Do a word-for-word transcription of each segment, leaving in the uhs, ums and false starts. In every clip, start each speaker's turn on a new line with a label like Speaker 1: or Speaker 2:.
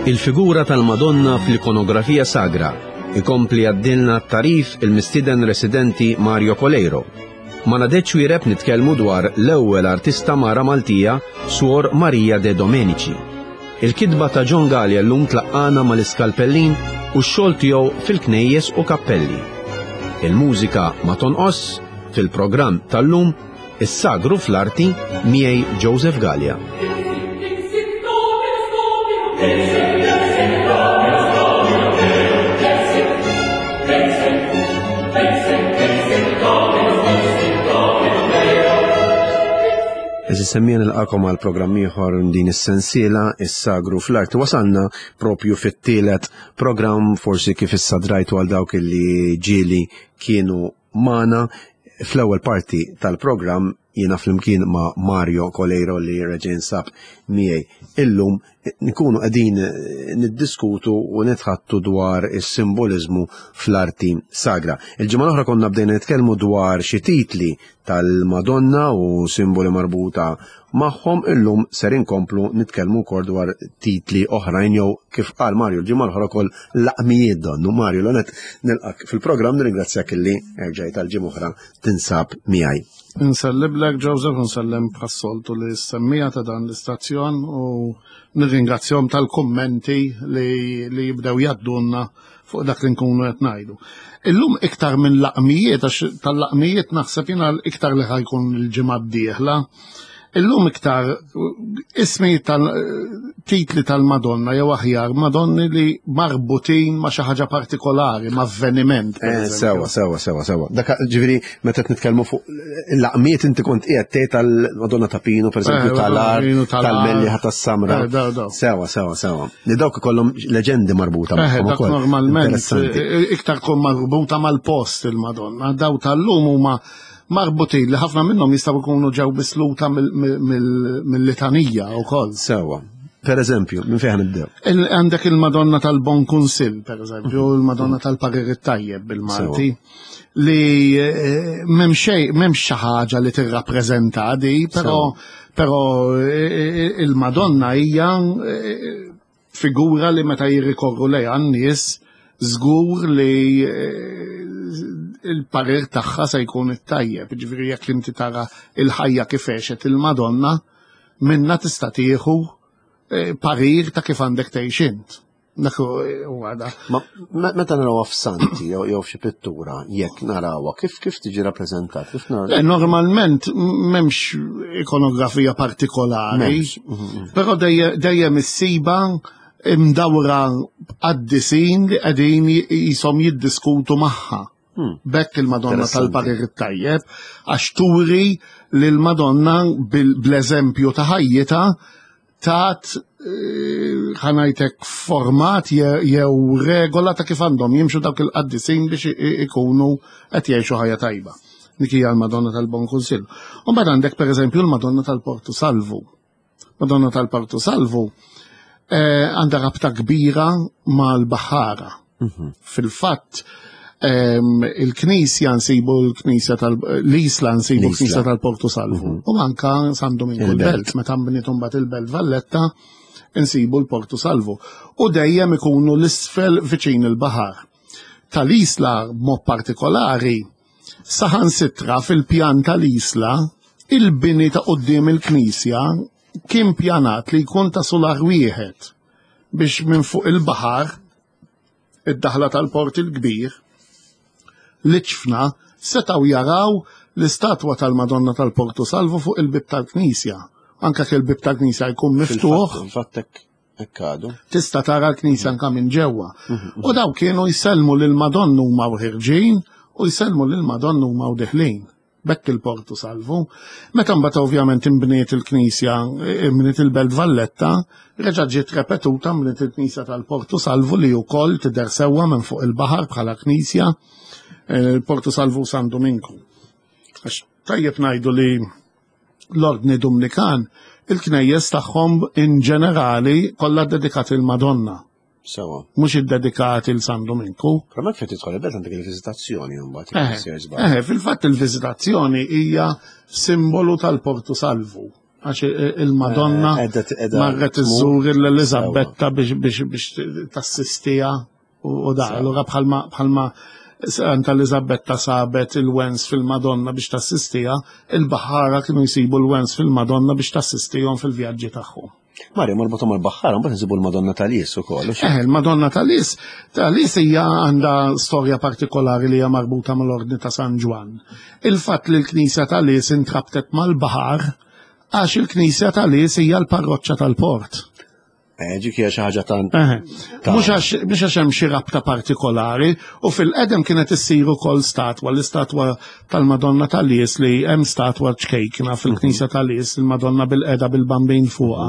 Speaker 1: Il-figura tal-Madonna fl-ikonografija sagra ikompli għaddilna t-tarif il-mistiden residenti Mario Coleiro. Ma nadeċ wireb nitkellmu dwar l-ewwel artista mara Maltija, Suor Maria de Domenici. Il-kitba ta' John Gallia llum tlaqqana mal-iskalpellin u x-xogħol tiegħu fil-knejjes u kappelli. Il-mużika ma tonqos fil-programm tal-lum is-sagru fl-arti miegħi Joseph Gallia. Eżi semmija nilqakom għal programm ieħor din is-sensiela is-sagru fl-arti. Wasalna propju fit-tielet programm, forsi kif issa drajtu għal dawk li ġieli kienu magħna fl-ewwel parti tal-programm jiena flimkien ma' Mario Coleiro li reġa' sab miegħi illum nkunu qegħdin niddiskutu u nitħattu dwar is-simboliżmu fl-arti sagra. Il-ġimgħa l-oħra konna bdejna nitkellmu dwar xi titli tal-Madonna u simboli marbuta magħhom, illum ser inkomplu nitkellmu wkoll dwar titli oħrajn jew kif qal Mario l-ġimgħa l-oħra wkoll laqmijiet donnu. Mario, l-onet nilqak fil-programm, nirringrazzjak illi erġajt għal-ġimgħa oħra tinsab miegħi.
Speaker 2: Inselliblek Joseph, nsellem bħas-soltu li semmija ta' dan l-istazzjon u nirringrazzjahom tal-kummenti li, li jibdew jaddunna fuq dak li nkunu qed ngħidu. Illum iktar minn laqmijiet, għax tal-laqmijiet naħseb jiena iktar li ħajkun il-ġimgħa d-dieħla. Illum iktar ismi tal-titli tal-Madonna jew aħjar Madonni li marbutin ma' xi ħaġa partikolari, ma' avveniment. per
Speaker 1: Eh,
Speaker 2: eżempju.
Speaker 1: Sewa, sewa, sewa, sewa. Dak ġifieri meta qed nitkellmu fuq l-laqmijiet inti kont qiegħed tgħid tal-Madonna ta' Pinu, pereżempju,
Speaker 2: Eh,
Speaker 1: tal-Ar,
Speaker 2: Pinu, tal-Ar.
Speaker 1: tal-Mellieħa tas-Samra.
Speaker 2: Eh, daw, daw.
Speaker 1: Sewa, sewa, sewa. Li dawk ikollhom leġendi marbuta
Speaker 2: Eh,
Speaker 1: magħhom
Speaker 2: dak
Speaker 1: ukoll.
Speaker 2: normalment
Speaker 1: Interessanti.
Speaker 2: eh, iktar kun marbuta mal-post il-Madonna. Daw tal-lum huma marbutin li ħafna minnhom jistgħu jkunu ġew bisluta mill- mill- mill-litanija wkoll.
Speaker 1: Sewa. Per eżempju, minn fejn nibdew?
Speaker 2: Il- Għandek il-Madonna tal-Bon Kunsill, per eżempju, il-Madonna tal-Parir it-Tajjeb bil-Malti, li eh, m'hemm xejn, m'hemmx xi ħaġa li tirrappreżenta di, però però eh, eh, il-Madonna hija eh, figura li meta jirrikorru lejha n-nies żgur li eh, il-parir tagħha se jkun it-tajjeb. Ġifieri jekk inti tara il-ħajja kif għexet il-Madonna, minna tista' tieħu eh, parir ta' kif għandek tgħix int. Dak huwa da.
Speaker 1: Ma me- meta narawha f'santi jew jew f'xi pittura, jekk narawha, kif kif tiġi rappreżentat? Kif
Speaker 2: Le,
Speaker 1: naraw?
Speaker 2: Normalment m'hemmx ikonografija partikolari,
Speaker 1: M'hemmx. Mhm.
Speaker 2: però dejje- dejjem issiba imdawra qaddisin li qegħdin jisom jiddiskutu magħha.
Speaker 1: Hmm.
Speaker 2: Bekk il-Madonna
Speaker 1: Interessanti.
Speaker 2: tal-Parir it-Tajjeb, għax turi li l-Madonna bil- bl-eżempju ta' ħajjita tat eh, ħa ngħidlek format je- jew regola ta' kif għandhom jimxu dawk il-qaddisin biex i- i- ikunu qed jgħixu ħajja tajba. Dik hija l-Madonna tal-Bon Kunsill. U mbagħad għandek pereżempju l-Madonna tal-Portu Salvu. Madonna tal-Portu Salvu eh, għandha rabta kbira mal-Baħara.
Speaker 1: Mhm.
Speaker 2: Fil-fatt, ehm, il-Knisja nsibu l-Knisja tal l-Isla nsibu
Speaker 1: L-Isla.
Speaker 2: l-Knisja tal-Portu Salvu. U anka San Dominku
Speaker 1: Il-Belt.
Speaker 2: l-Belt, meta nbniet mbagħad il-Belt Valletta, nsibu l-Portu Salvu. U dejjem ikunu l-isfel viċin il-baħar. Tal-Isla b'mod partikolari, saħansitra fil-pjan tal-Isla, il-bini ta' quddiem il-Knisja kien pjanat li jkun ta' solar wieħed biex minn fuq il-baħar id-daħla tal-port il-kbir, l-ċfna setaw jaraw l-istatwa tal-Madonna tal-Portu Salvu fuq il-bib tal-Knisja. Anka ke il-bib tal-Knisja jkun miftuħ,
Speaker 1: Fil-fatt hekk hekk għadu.
Speaker 2: tista' tara l-Knisja anka minn ġewwa. U daw kienu jsellmu lil Madonna huma u ħirġin u jsellmu lil Madonna huma u deħlin. Bekk il-Portu Salvu. Meta mbagħad ovvjament imbniet il-Knisja, imbniet il-Belt Valletta, reġa' ġiet repetuta mbniet il-Knisja tal-Portu Salvu li wkoll tidher sewwa minn fuq il-baħar bħala Knisja, eh, il-Portu Salvu San Dominku. Għax tajjeb ngħidu li l-Ordni Dumnikan il-knejjes tagħhom in ġenerali kollha dedikati il-Madonna,
Speaker 1: Sewa.
Speaker 2: mhux iddedikati il San Dominku.
Speaker 1: Però ma fejn tidħol il-belt għandek il-viżitazzjoni mbagħad
Speaker 2: Eh,
Speaker 1: jekk sejjer żball.
Speaker 2: eh, fil-fatt il-viżitazzjoni hija simbolu tal-Portu Salvu. Għax il-Madonna
Speaker 1: Eh,
Speaker 2: marret iżżur l-Eliżabetta biex biex biex tassistija u da. Allura bħalma bħalma Santa Eliżabetta sabet il-wens fil-Madonna biex tassistija, il-baħara kienu jsibu l-wens fil-Madonna biex tassistihom fil-vjaġġi tagħhom.
Speaker 1: Mario, marbuta mal-baħħara, mbagħad nsibu l-Madonna tal-Lies ukoll.
Speaker 2: Eh, il-Madonna tal-Lies, tal-Lies hija għandha storja partikolari li hija marbuta mal-Ordni ta' San Ġwann. Il-fatt li l-Knisja tal-Lies intrabtet mal-baħar għax il-Knisja tal-Lies hija l-parroċċa tal-port.
Speaker 1: Eh, dik hija xi ħaġa ta'
Speaker 2: Mhux għax mhux għax hemm xi rabta partikolari u fil-qedem kienet issir ukoll statwa, l-istatwa tal-Madonna tal-Lies li hemm statwa ċkejkna fil-Knisja tal-Lies, il-Madonna bil-qeda bil-bambin fuqha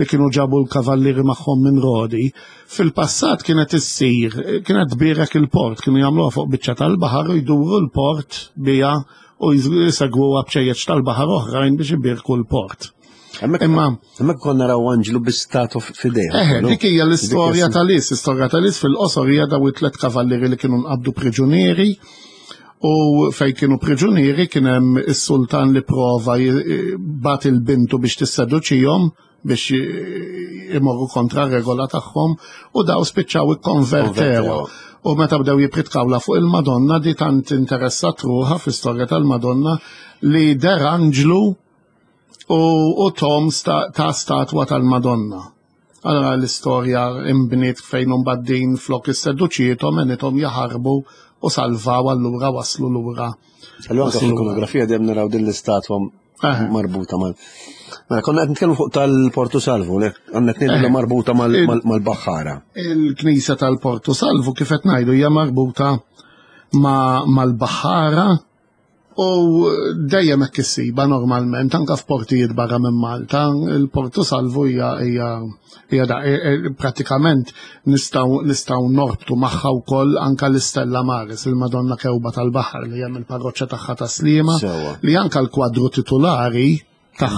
Speaker 2: li kienu ġabu l-kavallieri magħhom minn Rodi. Fil-passat kienet issir, kienet tbierek il-port, kienu jagħmluha fuq biċċa tal-baħar u jduru l-port biha u jsegwuha bċejjeċ tal-baħar oħrajn biex ibierku l-port.
Speaker 1: Imma hemmhekk konna naraw anġlu bi statwa f'idejha.
Speaker 2: Eh, dik hija l-istorja tal-Lies, l-istorja tal-Lies fil-qosor hija daw it-tliet kavallieri li kienu nqabdu priġunieri u fejn kienu priġunieri kien hemm is-sultan li prova bat il-bintu biex tisseduċihom biex imorru kontra regola tagħhom u daw spiċċaw ikkonvertew. U meta bdew jipritkawla fuq il-Madonna di tant interessat ruħha fl-istorja tal-Madonna li der anġlu u, u tom sta, ta' statwa tal-Madonna. Allora l-istorja imbniet fejn baddin flok is-seduċietom għenithom jaħarbu u salvaw allura waslu lura.
Speaker 1: Allura anke fl-ikonografija dejjem naraw din l-istatwa marbuta mal. Mela konna qed nitkellmu fuq tal-Portu Salvu, le għandna tnejn marbuta mal-baħħara.
Speaker 2: Il-Knisja tal-Portu Salvu kif qed ngħidu hija marbuta mal-baħħara u dejjem hekk issiba normalment anke f'portijiet barra minn Malta, il-Portu Salvu hija hija hija da pratikament nistgħu nistgħu norbtu magħha wkoll anke l-Istella Maris, il-Madonna Kewba tal-Baħar li hemm il-parroċċa tagħha ta' Sliema, li anke l-kwadru titulari ta'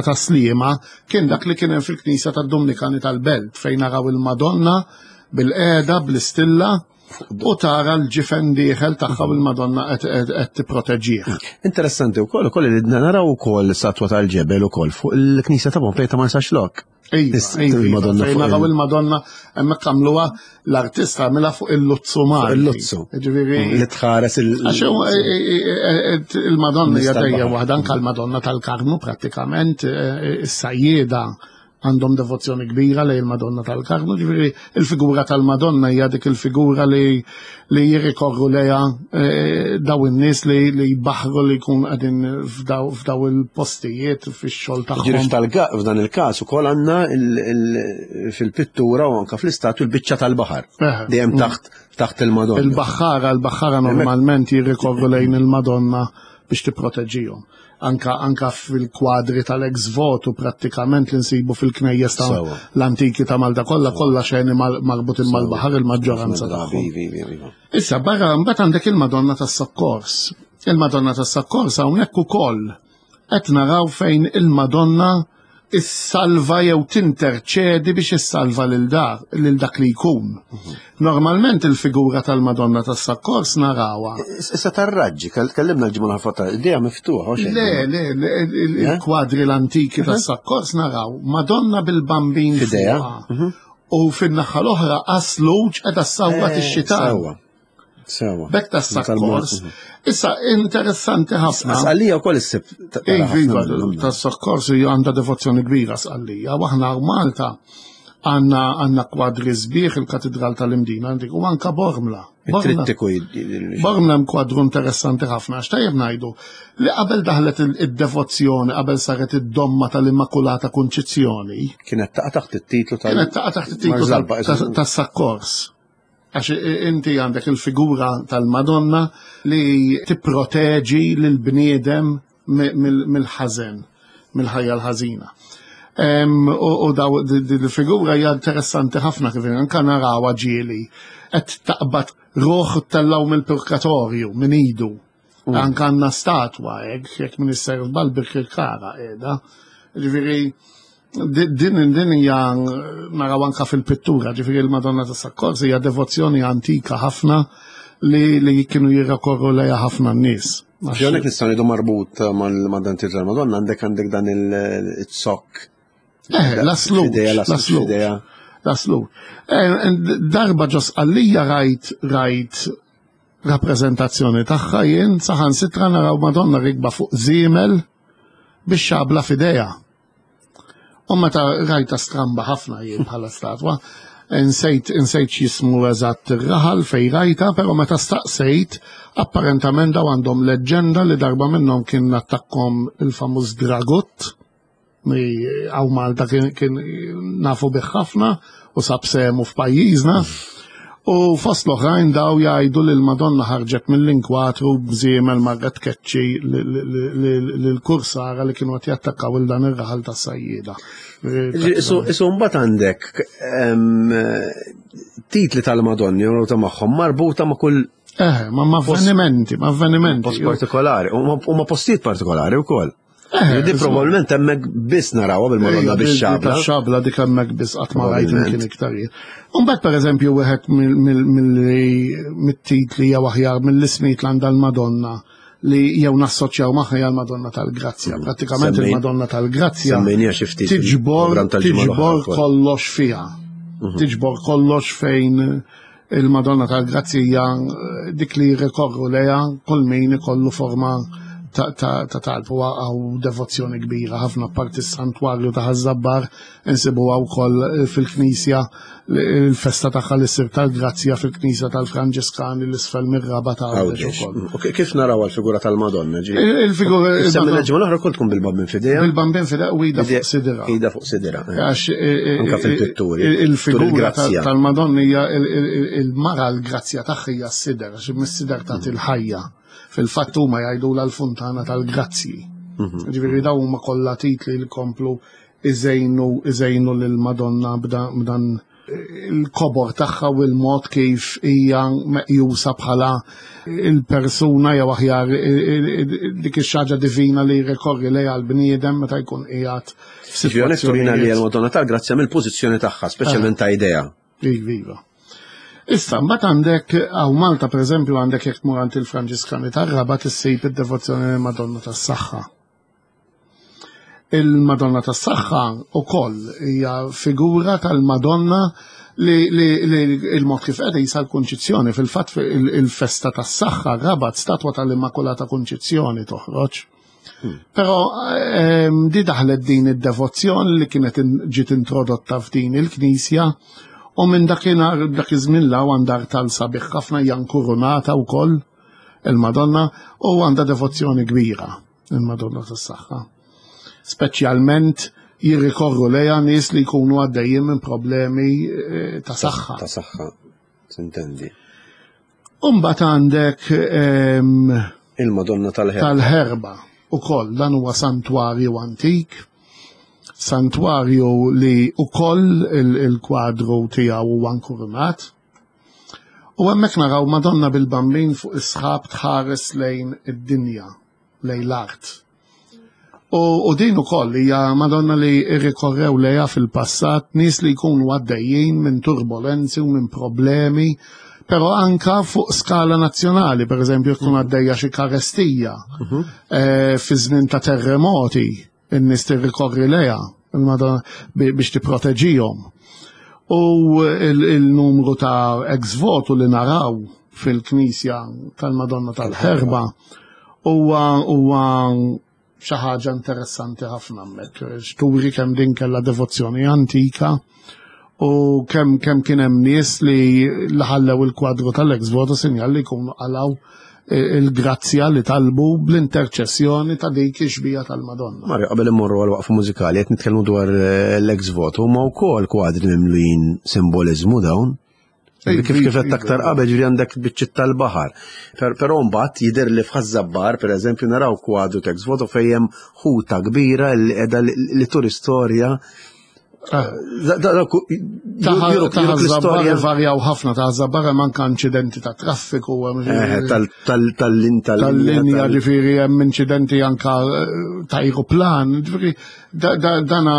Speaker 2: ta' Sliema kien dak li kien hemm fil-Knisja tad-Dominikani tal-Belt fejn naraw il-Madonna bil-qeda bl-istilla u tara l-ġifen dieħel tagħha u l-Madonna qed tipproteġih.
Speaker 1: Interessanti wkoll ukoll li naraw ukoll statwa tal-ġebel ukoll fuq il-Knisja ta' Pompej ta' Marsaxlokk.
Speaker 2: Iva,
Speaker 1: il-Madonna
Speaker 2: fejn naraw il-Madonna hemmhekk għamluha l-artista għamilha fuq il-Luzzu Malti.
Speaker 1: Il-Luzzu.
Speaker 2: Ġifieri
Speaker 1: li tħares il-
Speaker 2: Għax il-Madonna hija dejjem waħda anke l-Madonna tal-Karmu prattikament is-sajjieda għandhom devozzjoni kbira lejn il-Madonna tal-Karmu, ġifieri il-figura tal-Madonna hija dik il-figura li li jirrikorru lejha daw in-nies li li jbaħru li jkun qegħdin f'daw il-postijiet fix-xogħol tagħhom.
Speaker 1: Ġifieri f'dan il-każ ukoll għandna fil-pittura u anke fl-istatwi l-biċċa tal-baħar. Dejjem taħt taħt il-Madonna.
Speaker 2: Il-baħħara, il-baħħara normalment jirrikorru lejn il-Madonna biex tipproteġihom. Anka, anka fil-kwadri tal-ex voto prattikament li nsibu fil-knejjes ta' l-antiki ta' Malta kollha kollha xejn marbutin mal-baħar il-maġġoranza tagħhom. Issa barra mbagħad għandek il-Madonna tas-Sokkors. Il-Madonna tas-Sokkors hawnhekk ukoll qed naraw fejn il-Madonna issalva jew tinterċedi biex issalva lil dar lil dak li jkun. Normalment il-figura tal-Madonna tas-Sokkors narawha.
Speaker 1: Issa tar-raġġi, kellimna l-ġimgħa l-ħadd idea miftuħa
Speaker 2: xejn. Le, le, il-kwadri l-antiki tas-Sokkors naraw Madonna bil-bambin
Speaker 1: f'idejha
Speaker 2: u fin-naħa l-oħra qasluġ qiegħda ssawwat ix-xitan.
Speaker 1: Sewa.
Speaker 2: Bek tas-Sokkors. Issa interessanti ħafna.
Speaker 1: Sqallija wkoll issib.
Speaker 2: Iva, tas-Sokkors hija għandha devozzjoni kbira Sqallija. U aħna Malta għandna għandna kwadri sbieħ il-Katedral tal-Imdina għandik u anka Bormla.
Speaker 1: Trittiku.
Speaker 2: Bormla hemm kwadru interessanti ħafna għax tajjeb ngħidu li qabel daħlet id-devozzjoni, qabel saret id-domma tal-Immakulata Kunċizzjoni.
Speaker 1: Kienet taqa' taħt it-titlu tal-
Speaker 2: Kienet taqa' taħt it-titlu tas-Sokkors. Għax inti għandek il-figura tal-Madonna li tipproteġi lill-bniedem mill-ħażen, mill-ħajja l-ħażina. U daw il-figura hija interessanti ħafna kif anke narawha ġieli qed taqbad ruħ tellaw mill-purgatorju minn idu. Anke għandna statwa hekk jekk min isser żball Birkirkara qiegħda. Ġifieri din din hija naraw anke fil-pittura, ġifieri il-Madonna tas-Sokkors hija devozzjoni antika ħafna li li kienu jirrakorru lejha ħafna n-nies.
Speaker 1: Hawnhekk nistgħu ngħidu marbut ma' dan titlu tal-Madonna, għandek għandek dan il-zokk.
Speaker 2: Eh, l-aslut. L-aslut. L-aslut. Darba ġo Sqallija rajt rajt rappreżentazzjoni tagħha jien saħansitra naraw Madonna rikba fuq żiemel bix-xabla f'idejha. U meta rajta stramba ħafna jien bħala statwa, insejt insejt x'jismu eżatt ir-raħal fej rajta, però meta staqsejt, apparentament daw għandhom leġġenda li darba minnhom kien attakkom il-famuż Dragut, li hawn Malta kien, kien nafu bih ħafna u sab semu f'pajjiżna. U fost l-oħrajn daw jgħidu li l-Madonna ħarġet mill-inkwatru b'żiemel marret tkeċċi l-kursara li kienu qed jattakkaw il dan ir-raħal tas-sajjieda.
Speaker 1: Isu mbagħad għandek titli tal-Madonni u ta' magħhom marbuta ma' kull
Speaker 2: Eh, ma' avvenimenti, ma' avvenimenti.
Speaker 1: Post partikolari, u ma' postijiet partikolari wkoll. Di probabbilment hemmhekk biss narawha bil-Madonna bix-xabla.
Speaker 2: Xabla dik hemmhekk biss qatt ma rajt imkien iktar. Imbagħad pereżempju wieħed mit-titli jew aħjar mill-ismijiet li għandha l-Madonna li jew nassoċjaw magħha hija l-Madonna tal-Grazzja. Prattikament il-Madonna tal-Grazzja tiġbor tiġbor kollox fiha. Tiġbor kollox fejn il-Madonna tal-Grazzja hija dik li jirrikorru lejha kull min ikollu forma ta' talb u għaw devozzjoni kbira ħafna, parti s-santwarju ta' Ħaż-Żabbar insibuha wkoll fil-knisja il-festa tagħha li ssir tal-Grazzja fil-knisja tal-Franġiskani l-isfel mir-Rabat ta' Għawdex
Speaker 1: ukoll. Kif naraw għall-figura tal-Madonna?
Speaker 2: Il-figura
Speaker 1: Semmi l-ġimgħa l-oħra kont tkun bil-bambin f'idejha.
Speaker 2: Bil-bambin f'idejha u ida fuq sidira.
Speaker 1: Ida fuq sidira.
Speaker 2: Għax
Speaker 1: anke fil-pitturi.
Speaker 2: Il-figura tal-Madonna hija il-mara l-grazzja tagħha hija s-sider, għax mis-sider tagħti l-ħajja. Fil-fatt huma jgħidu l-funtana tal-grazzji. Ġifieri daw huma kollha titli li komplu iżejnu iżejnu lill-Madonna b'dan il-kobor tagħha u l-mod kif hija meqjusa bħala il-persuna jew aħjar dik ix-xaġa divina li jirrikorri lejha l-bniedem meta jkun qiegħed
Speaker 1: f'sitwazzjoni. Li l-Madonna tal-Grazzja mill-pożizzjoni tagħha, speċjalment ta' idea.
Speaker 2: Iva. Issa, mbagħad għandek hawn Malta pereżempju għandek jekk tmur għand il-Franġiskani tar-Rabat issib id-devozzjoni lill-Madonna tas-Saħħa. Il-Madonna tas-Saħħa wkoll hija figura tal-Madonna li, li, li il-mod kif qiegħda jisa l-Kunċizzjoni, fil-fatt il-festa tas-Saħħa Rabat statwa tal-Immakulata Kunċizzjoni toħroġ. Però ehm, di daħlet din id-devozzjoni li kienet ġiet introdotta f'din il-knisja. U minn dakinhar dak iż-żmien law għandha tal sabiħ ħafna, hija nkurunata wkoll il-Madonna u għandha devozzjoni kbira il-Madonna tas-Saħħa. Speċjalment jirrikorru lejha nies li jkunu għaddejjin minn problemi ta' saħħa.
Speaker 1: Ta' saħħa, tintendi.
Speaker 2: U mbagħad għandek
Speaker 1: il-Madonna tal-Ħerba.
Speaker 2: Tal-Ħerba ukoll, dan huwa santwarju antik. Santwarju li ukoll il-kwadru tiegħu huwa nkurunat. U hemmhekk naraw Madonna bil-Bambin fuq is-sħab tħares lejn id-dinja, lejn l-art. U din ukoll hija Madonna li rrikorrew lejha fil-passat nies li jkunu għaddejjin minn turbolenzi u minn problemi, però anka fuq skala nazzjonali, pereżempju jkun għaddejja xi karestija fi żmien ta' terremoti. In-nies tirrikorri lejha il-Madonna biex tipproteġihom. U il-numru ta' ex voto li naraw fil-knisja tal-Madonna tal-Ħerba huwa huwa xi ħaġa interessanti ħafna hemmhekk. Turi kemm din kellha devozzjoni antika u kemm kemm kien hemm nies li ħallew il-kwadru tal-ex voto sinjal li jkunu qalaw il-grazzja li talbu bl-interċessjoni ta' dik ix-xbija tal-Madonna.
Speaker 1: Mario, qabel immorru għal waqfa mużikali, qed nitkellmu dwar l-ex voto, ma wkoll kwadri mimlijin simboliżmu dawn. Kif kif qed aktar qabel ġifieri għandek biċċiet tal-baħar. Però mbagħad jidher li f'Ħaż-Żabbar, pereżempju, naraw kwadru ta' ex voto fejn hemm ħuta kbira li qiegħda li turi storja.
Speaker 2: Ta' Ħaż-Żabbar varjaw ħafna, ta' Ħaż-Żabbar hemm anke inċidenti ta' traffiku, tal-linja, ġifieri hemm inċidenti anke ta' aeroplan, ġifieri dana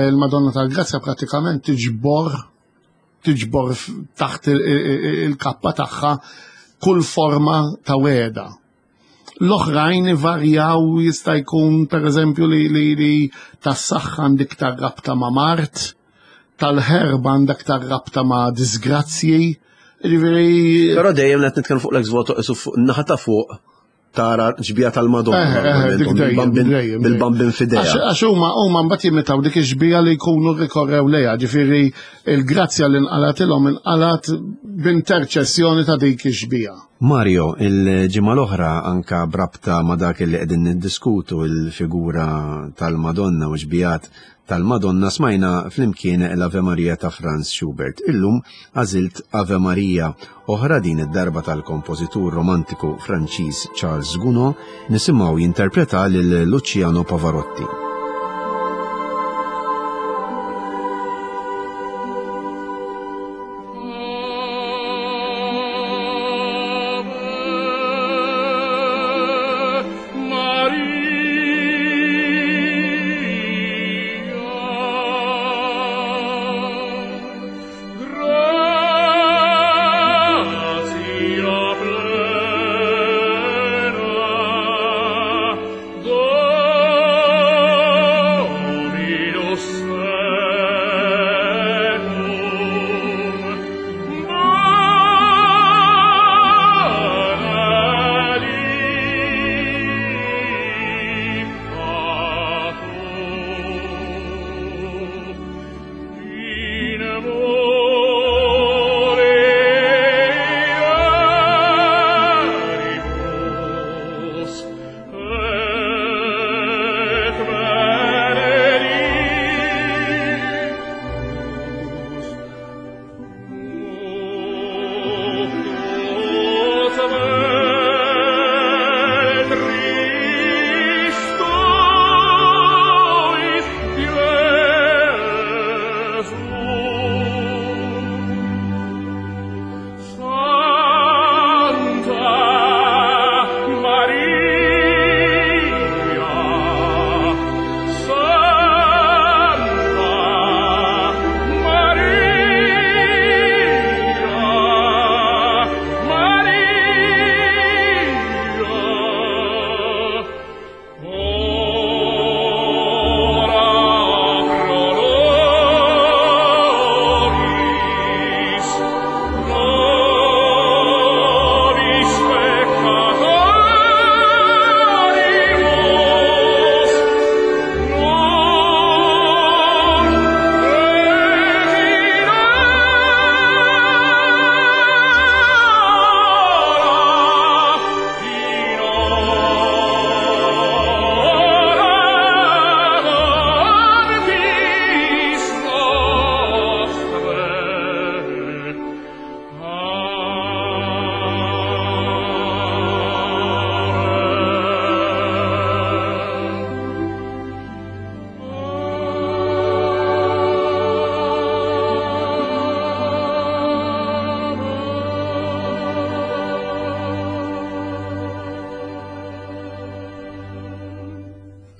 Speaker 2: il-Madonna tal-Grazzja prattikament tiġbor tiġbor taħt il-kappa tagħha kull forma ta' weda. L-oħrajn ivarjaw, jista' jkun pereżempju li li li tas-saħħa għandek iktar rabta ma' mard, tal-ħerba għandek iktar rabta ma' disgrazzji. Ġifieri.
Speaker 1: Però dejjem qed nitkellmu fuq l-ex voto isu fuq naħa ta' fuq tara xbieha tal-Madonna. Bil-bambin f'idejha.
Speaker 2: Għax huma huma mbagħad jimitaw dik ix-xbieha li jkunu rikorrew lejha, ġifieri il-grazzja li nqalatilhom inqalat b'interċessjoni ta' dik ix-xbieha.
Speaker 1: Mario, il-ġimgħa l-oħra anka brabta ma' dak li qegħdin niddiskutu il-figura tal-Madonna u xbijat tal-Madonna smajna flimkien l-Ave Maria ta' Franz Schubert. Illum għażilt Ave Maria oħra, din id-darba tal-kompożitur romantiku Franċiż Charles Gounod, nisimgħu jinterpreta lil Luciano Pavarotti.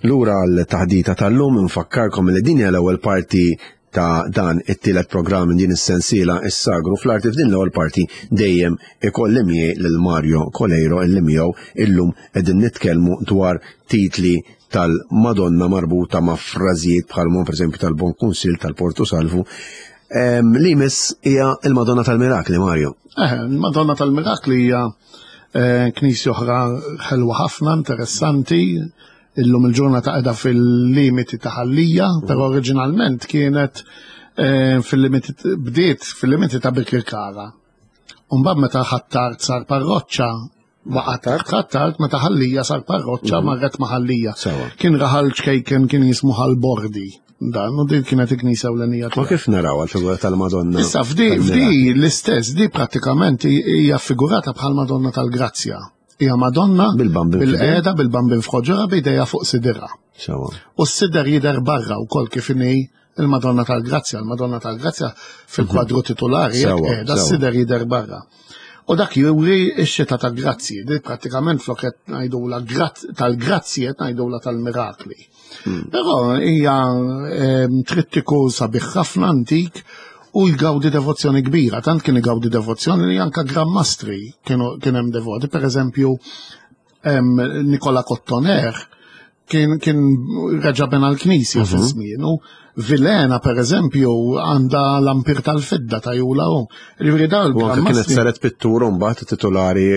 Speaker 1: Lura l-taħdita tal-lum nfakkarkom li din hija l-ewwel parti ta' dan it-tielet programm minn din is-sensiela Is-Sagru fl-Arti. F'din l-ewwel parti dejjem ikolli miegħi lil Mario Coleiro illi miegħu illum qegħdin nitkellmu dwar titli tal-Madonna marbuta ma' frażijiet bħal pereżempju tal-Bon Kunsill tal-Portu Salvu. Li miss hija il-Madonna tal-Mirakli, Mario.
Speaker 2: Eh, il-Madonna tal-Mirakli hija knisja oħra ħelwa ħafna, interessanti. Illum il-ġurnata qiegħda fil-limiti ta' Ħal-Lija, però oriġinalment kienet fil-limiti, bdiet fil-limiti ta' Birkirkara. Umbagħad meta Ħ'Attard sar parroċċa, waqgħet Ħ'Attard, meta Ħal-Lija sar parroċċa marret ma' Ħal-Lija. Kien raħal ċkejken kien jismu Ħal-Bordi. Dan, u din kienet il-knisja ewlenija.
Speaker 1: Ma kif naraw għal-figura tal-Madonna?
Speaker 2: Issa f'di f'di l-istess, di prattikament hija figurata bħal Madonna tal-Grazzja. Hija Madonna bil-qiegħda bil-bambin f'ħoġorha b'idejha fuq sidirha. U s-sider jidher barra wkoll kif inhi il-Madonna tal-Grazzja. Il-Madonna tal-Grazzja fil-kwadru titolari qiegħda s-sider jidher barra. U dak juri x-xita tal-grazzji, di prattikament flok qed ngħidula tal-grazzji qed ngħidula tal-mirakli. Però hija trittiku sabiħ ħafna antik u jgawdi devozzjoni kbira, tant kien igawdi devozzjoni li anka Gran Mastri kienu kien hemm devoti, per eżempju Nikola Cottoner kien kien reġa' bena l-knisja fi żmienu. Vilhena, per eżempju, għandha l-ampir tal-fidda ta' Jula u. Ġifieri dawn
Speaker 1: U anke kienet saret pittura mbagħad titolari.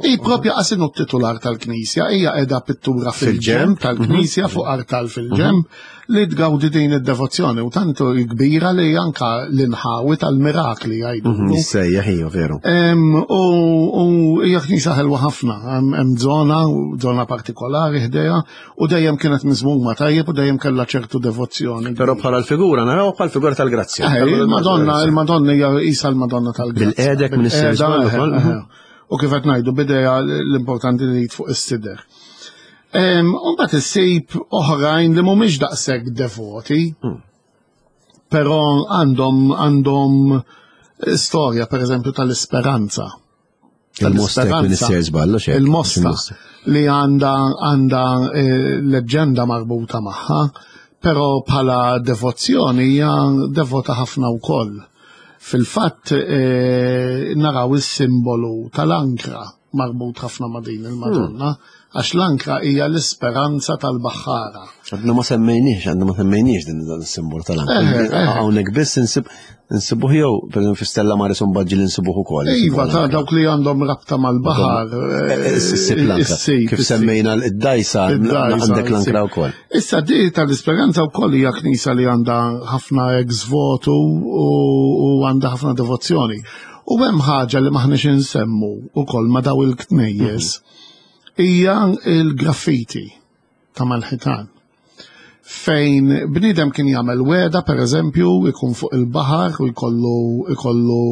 Speaker 2: I propja qasinu t-titular tal-knisja, hija qiegħda pittura fil-ġemb tal-knisja fuq artal fil-ġemb li tgawdi din id-devozzjoni u tantu kbira li anka l-inħawi tal-mirakli jgħidu.
Speaker 1: Jissejjaħ hija veru.
Speaker 2: U hija knisja ħelwa ħafna, hemm żona, żona partikolari ħdejha u dejjem kienet miżmuma tajjeb u dejjem kellha ċertu devozzjoni.
Speaker 1: Però bħala l-figura naraw bħal figura tal-grazzja.
Speaker 2: Il-Madonna, il-Madonna hija qisha l-Madonna tal-Grazzja.
Speaker 1: Bil-qedek minn is-servizz.
Speaker 2: U kif qed ngħidu bidejha l-importanti li fuq is-sider. U mbagħad issib oħrajn li mhumiex daqshekk devoti, però għandhom għandhom storja pereżempju tal-Isperanza.
Speaker 1: Il-Mosta.
Speaker 2: Il-Mosta li għandha għandha leġġenda marbuta magħha, però bħala devozzjoni hija devota ħafna wkoll. Fil-fatt naraw is-simbolu tal-ankra marbut ħafna ma' din il-Madonna, għax l-ankra hija l-isperanza tal-baħħara.
Speaker 1: Għadna ma semmejniex, għadna ma semmejniex din dan is-simbolu tal-ankra. Hawnhekk biss insib insibuh jew pereżempju fi Stella Maris un baġġi li nsibuh ukoll.
Speaker 2: Iva, ta' dawk li għandhom rabta mal-baħar.
Speaker 1: Issib l-ankra. Kif semmejna d-dajsa għandek l-ankra wkoll.
Speaker 2: Issa di tal-Isperanza wkoll hija knisja li għandha ħafna ex votu u għandha ħafna devozzjoni. U hemm ħaġa li maħniex insemmu wkoll ma' daw il-knejjes hija il-graffiti ta' mal-ħitan. Fejn bniedem kien jagħmel weda, per eżempju, ikun fuq il-baħar u jkollu ikollu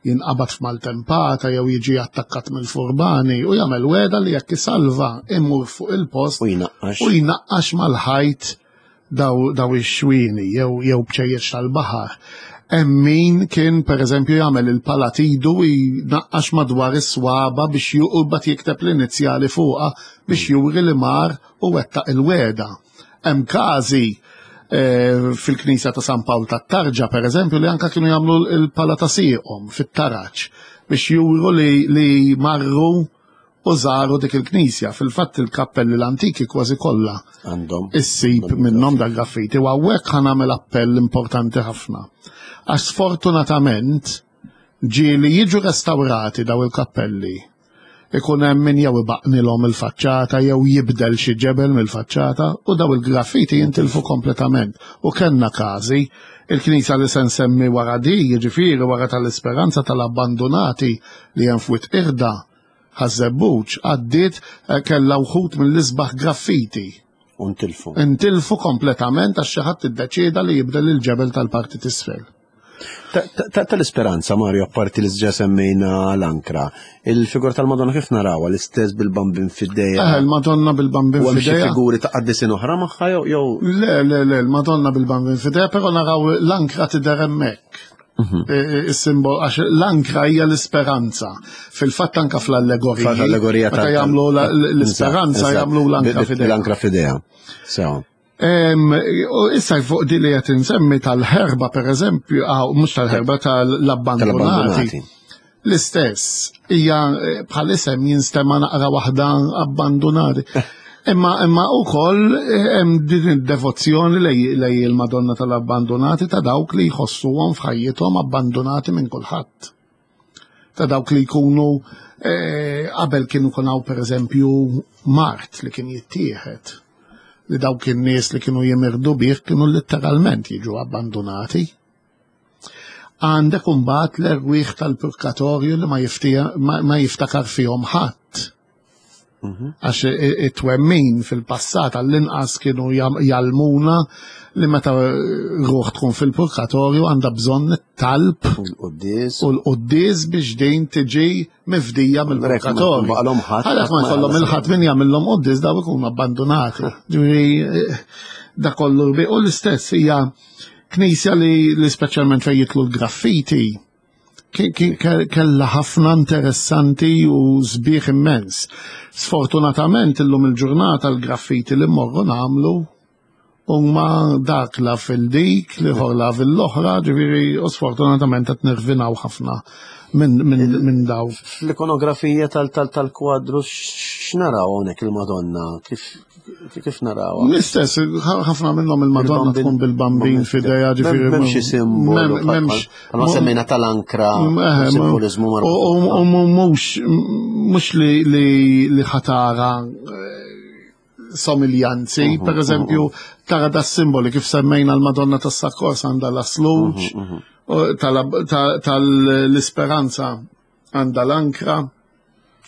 Speaker 2: jinqabad f'maltempata jew jiġi attakkat mill-furbani u jagħmel weda li jekk isalva imur fuq il-post
Speaker 1: u jnaqqax
Speaker 2: u jnaqqax mal-ħajt daw daw ix-xwieni jew jew bċejjeċ tal-baħar. Hemm min kien pereżempju jagħmel il-palatidu jnaqqax madwar is-swaba biex juqbad jikteb l-inizjali fuqha biex juri li mar u wettaq il-weda. Hemm każi fil-Knisja ta' San Pawl tat-Tarġa pereżempju li anke kienu jagħmlu l-pala ta' sieqhom fit-taraġ biex juru li, li marru u żaru dik il-knisja. Fil-fatt il-kappelli l-antiki kważi kollha
Speaker 1: għandhom
Speaker 2: issib minnhom dak graffiti u hawnhekk ħa nagħmel appell importanti ħafna. Għax sfortunatament ġieli jiġu restawrati daw il-kappelli. Ikun hemm min jew ibaqnilhom il-faċċata jew jibdel xi ġebel mill-faċċata u daw il-graffiti jintilfu kompletament. U kellna każi, il-knisja li se nsemmi wara di, jiġifieri wara tal-Isperanza tal-Abbandonati li hemm f'Wied Qirda, Ħaż-Żebbuġ, għaddiet kellha wħud mill-isbaħ graffiti.
Speaker 1: U ntilfu.
Speaker 2: Intilfu kompletament għax xi ħadd iddeċieda li jibdel il-ġebel tal-parti t'isfel.
Speaker 1: Tal-Isperanza, Mario, apparti li ġa semmejna l-ankra, il-figura tal-Madonna kif narawha l-istess bil-bambin f'idejha?
Speaker 2: Eh, il-Madonna bil-bambin
Speaker 1: U hemm xi
Speaker 2: f'idejha.
Speaker 1: figuri ta' qaddisin oħra magħha jew jew
Speaker 2: Le, le, le, il-Madonna bil-bambin f'idejha, però naraw l-ankra tidher hemmhekk. Is-simbol, għax l-ankra hija l-isperanza. Fil-fatt anka fl-allegorija.
Speaker 1: Fl-allegorija
Speaker 2: Meta jagħmlu l-isperanza jagħmlu l-ankra f'idejha.
Speaker 1: L-ankra f'idejha. Sew.
Speaker 2: Issa fuq di li qed insemmi tal-ħerba pereżempju, mhux tal-ħerba, tal-abbandonati. L-istess, hija bħal isem jinstema' naqra waħda abbandonati. Imma imma wkoll hemm din id-devozzjoni lej il-Madonna tal-Abbandonati ta' dawk li jħossuhom f'ħajjithom abbandonati minn kulħadd. Ta' dawk li jkunu qabel kienu kun hawn pereżempju mart li kien jittieħed. Li dawk in-nies li kienu jimirdu bih kienu letteralment jiġu abbandonati. Għandek imbagħad l-erwieħ tal-purgatorju li ma, ma jiftakar fihom ħadd. Għax it-twemmin fil-passat għall-inqas kienu jgħallmuna li meta ruħ tkun fil-purgatorju għandha bżonn it-talb
Speaker 1: U l-quddies.
Speaker 2: u l-quddies biex din tiġi mifdija mill-purgatorju. Għalhekk ma jkollhom il-ħadd min jagħmilhom quddies daw ikunu abbandonati. Ġifieri da kollu u l-istess hija knisja li, li speċjalment fejn jitlu l-graffiti kella ħafna interessanti u sbieħ immens. Sfortunatament illum il-ġurnata l-graffiti li mmorru nagħmlu huma dak la fil-dik, li la fil-oħra, ġifieri u sfortunatament qed nirvinaw ħafna minn min, min daw.
Speaker 1: Fl-ikonografija tal-kwadru X'naraw hawnhekk il-Madonna? Kif kif narawha?
Speaker 2: L-istess, ħafna minnhom il-Madonna tkun bil-bambin f'idejha, ġifieri.
Speaker 1: M'hemmx xi simbolu.
Speaker 2: M'hemmx.
Speaker 1: Bħalma semmejna tal-ankra,
Speaker 2: Eh,
Speaker 1: simbolizmu
Speaker 2: U
Speaker 1: marbut.
Speaker 2: u mhux mhux li li li ħatara eh, somiljanzi,
Speaker 1: Mhm,
Speaker 2: per eżempju, tara da simboli kif semmejna l-Madonna tas-Sakkors għandha l-asluġ,
Speaker 1: Mhm,
Speaker 2: u tal- ta- tal-Isperanza għandha l-ankra.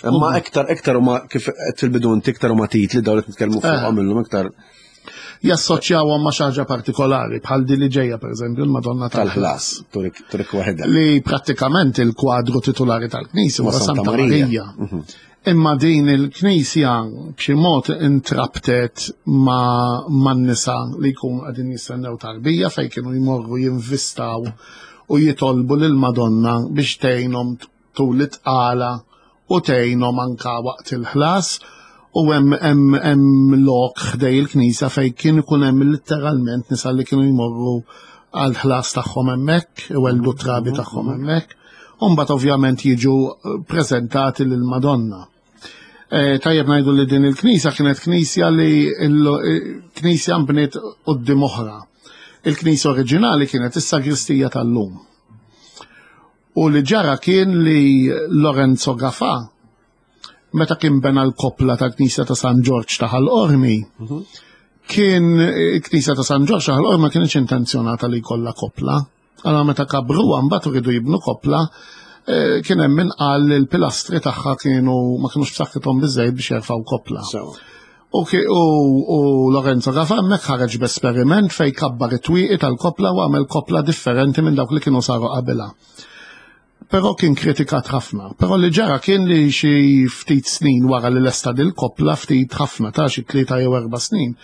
Speaker 1: Imma iktar iktar huma kif qed fil-bidu inti iktar huma titli dawn li qed nitkellmu fuqhom illum iktar
Speaker 2: Jassoċjawhom ma' xi ħaġa partikolari, bħal di li ġejja per eżempju l-Madonna
Speaker 1: tal-ħlas,
Speaker 2: tal-ħlas.
Speaker 1: turik turik waħedha.
Speaker 2: Li prattikament il-kwadru titolari tal-Knisja
Speaker 1: Ma'
Speaker 2: huwa
Speaker 1: Santa
Speaker 2: Santa
Speaker 1: Marija.
Speaker 2: Marija. Imma din il-Knisja b'xi mod intrabtet ma' man-nisa li jkunu qegħdin jistennew tarbija fejn kienu jmorru jinvistaw u jitolbu lil Madonna biex tgħinhom tul it-tqala u tgħinhom anka waqt il-ħlas u hemm hemm hemm lok ħdej il-knisja fejn kien ikun hemm litteralment nisa li kienu jmorru għal ħlas tagħhom hemmhekk, iweldu trabi tagħhom hemmhekk, u mbagħad ovvjament jiġu preżentati lil Madonna. Eh, Tajjeb ngħidu li din il-knisja kienet knisja li il- eh, knisja nbniet quddiem oħra. Il-knisja oriġinali kienet is-sagristija tal-lum. U li ġara kien li Lorenzo Gafà, meta kien bena l-koppla tal-Knisja ta' San Ġorġ ta' Ħal Qormi, kien il-Knisja ta' San Ġorġ ta' Ħal Qormi ma kienx intenzjonata li jkollha koppla. Allora meta kabruha mbagħad iridu jibnu koppla, eh, kien hemm min qal li l-pilastri tagħha kienu ma kienux b'saħħithom biżejjed biex jerfgħu koppla.
Speaker 1: Sewa.
Speaker 2: U, ki- u, u Lorenzo Gafà hemmhekk ħareġ b'esperiment fej kabbar it-twieqi tal-koppla u għamel koppla differenti minn dawk li kienu saru qabilha. Però kien kritikat ħafna. Però li ġara kien li xi ftit snin wara li lesta dil-koppla, ftit ħafna ta' xi tlieta jew erba' snin,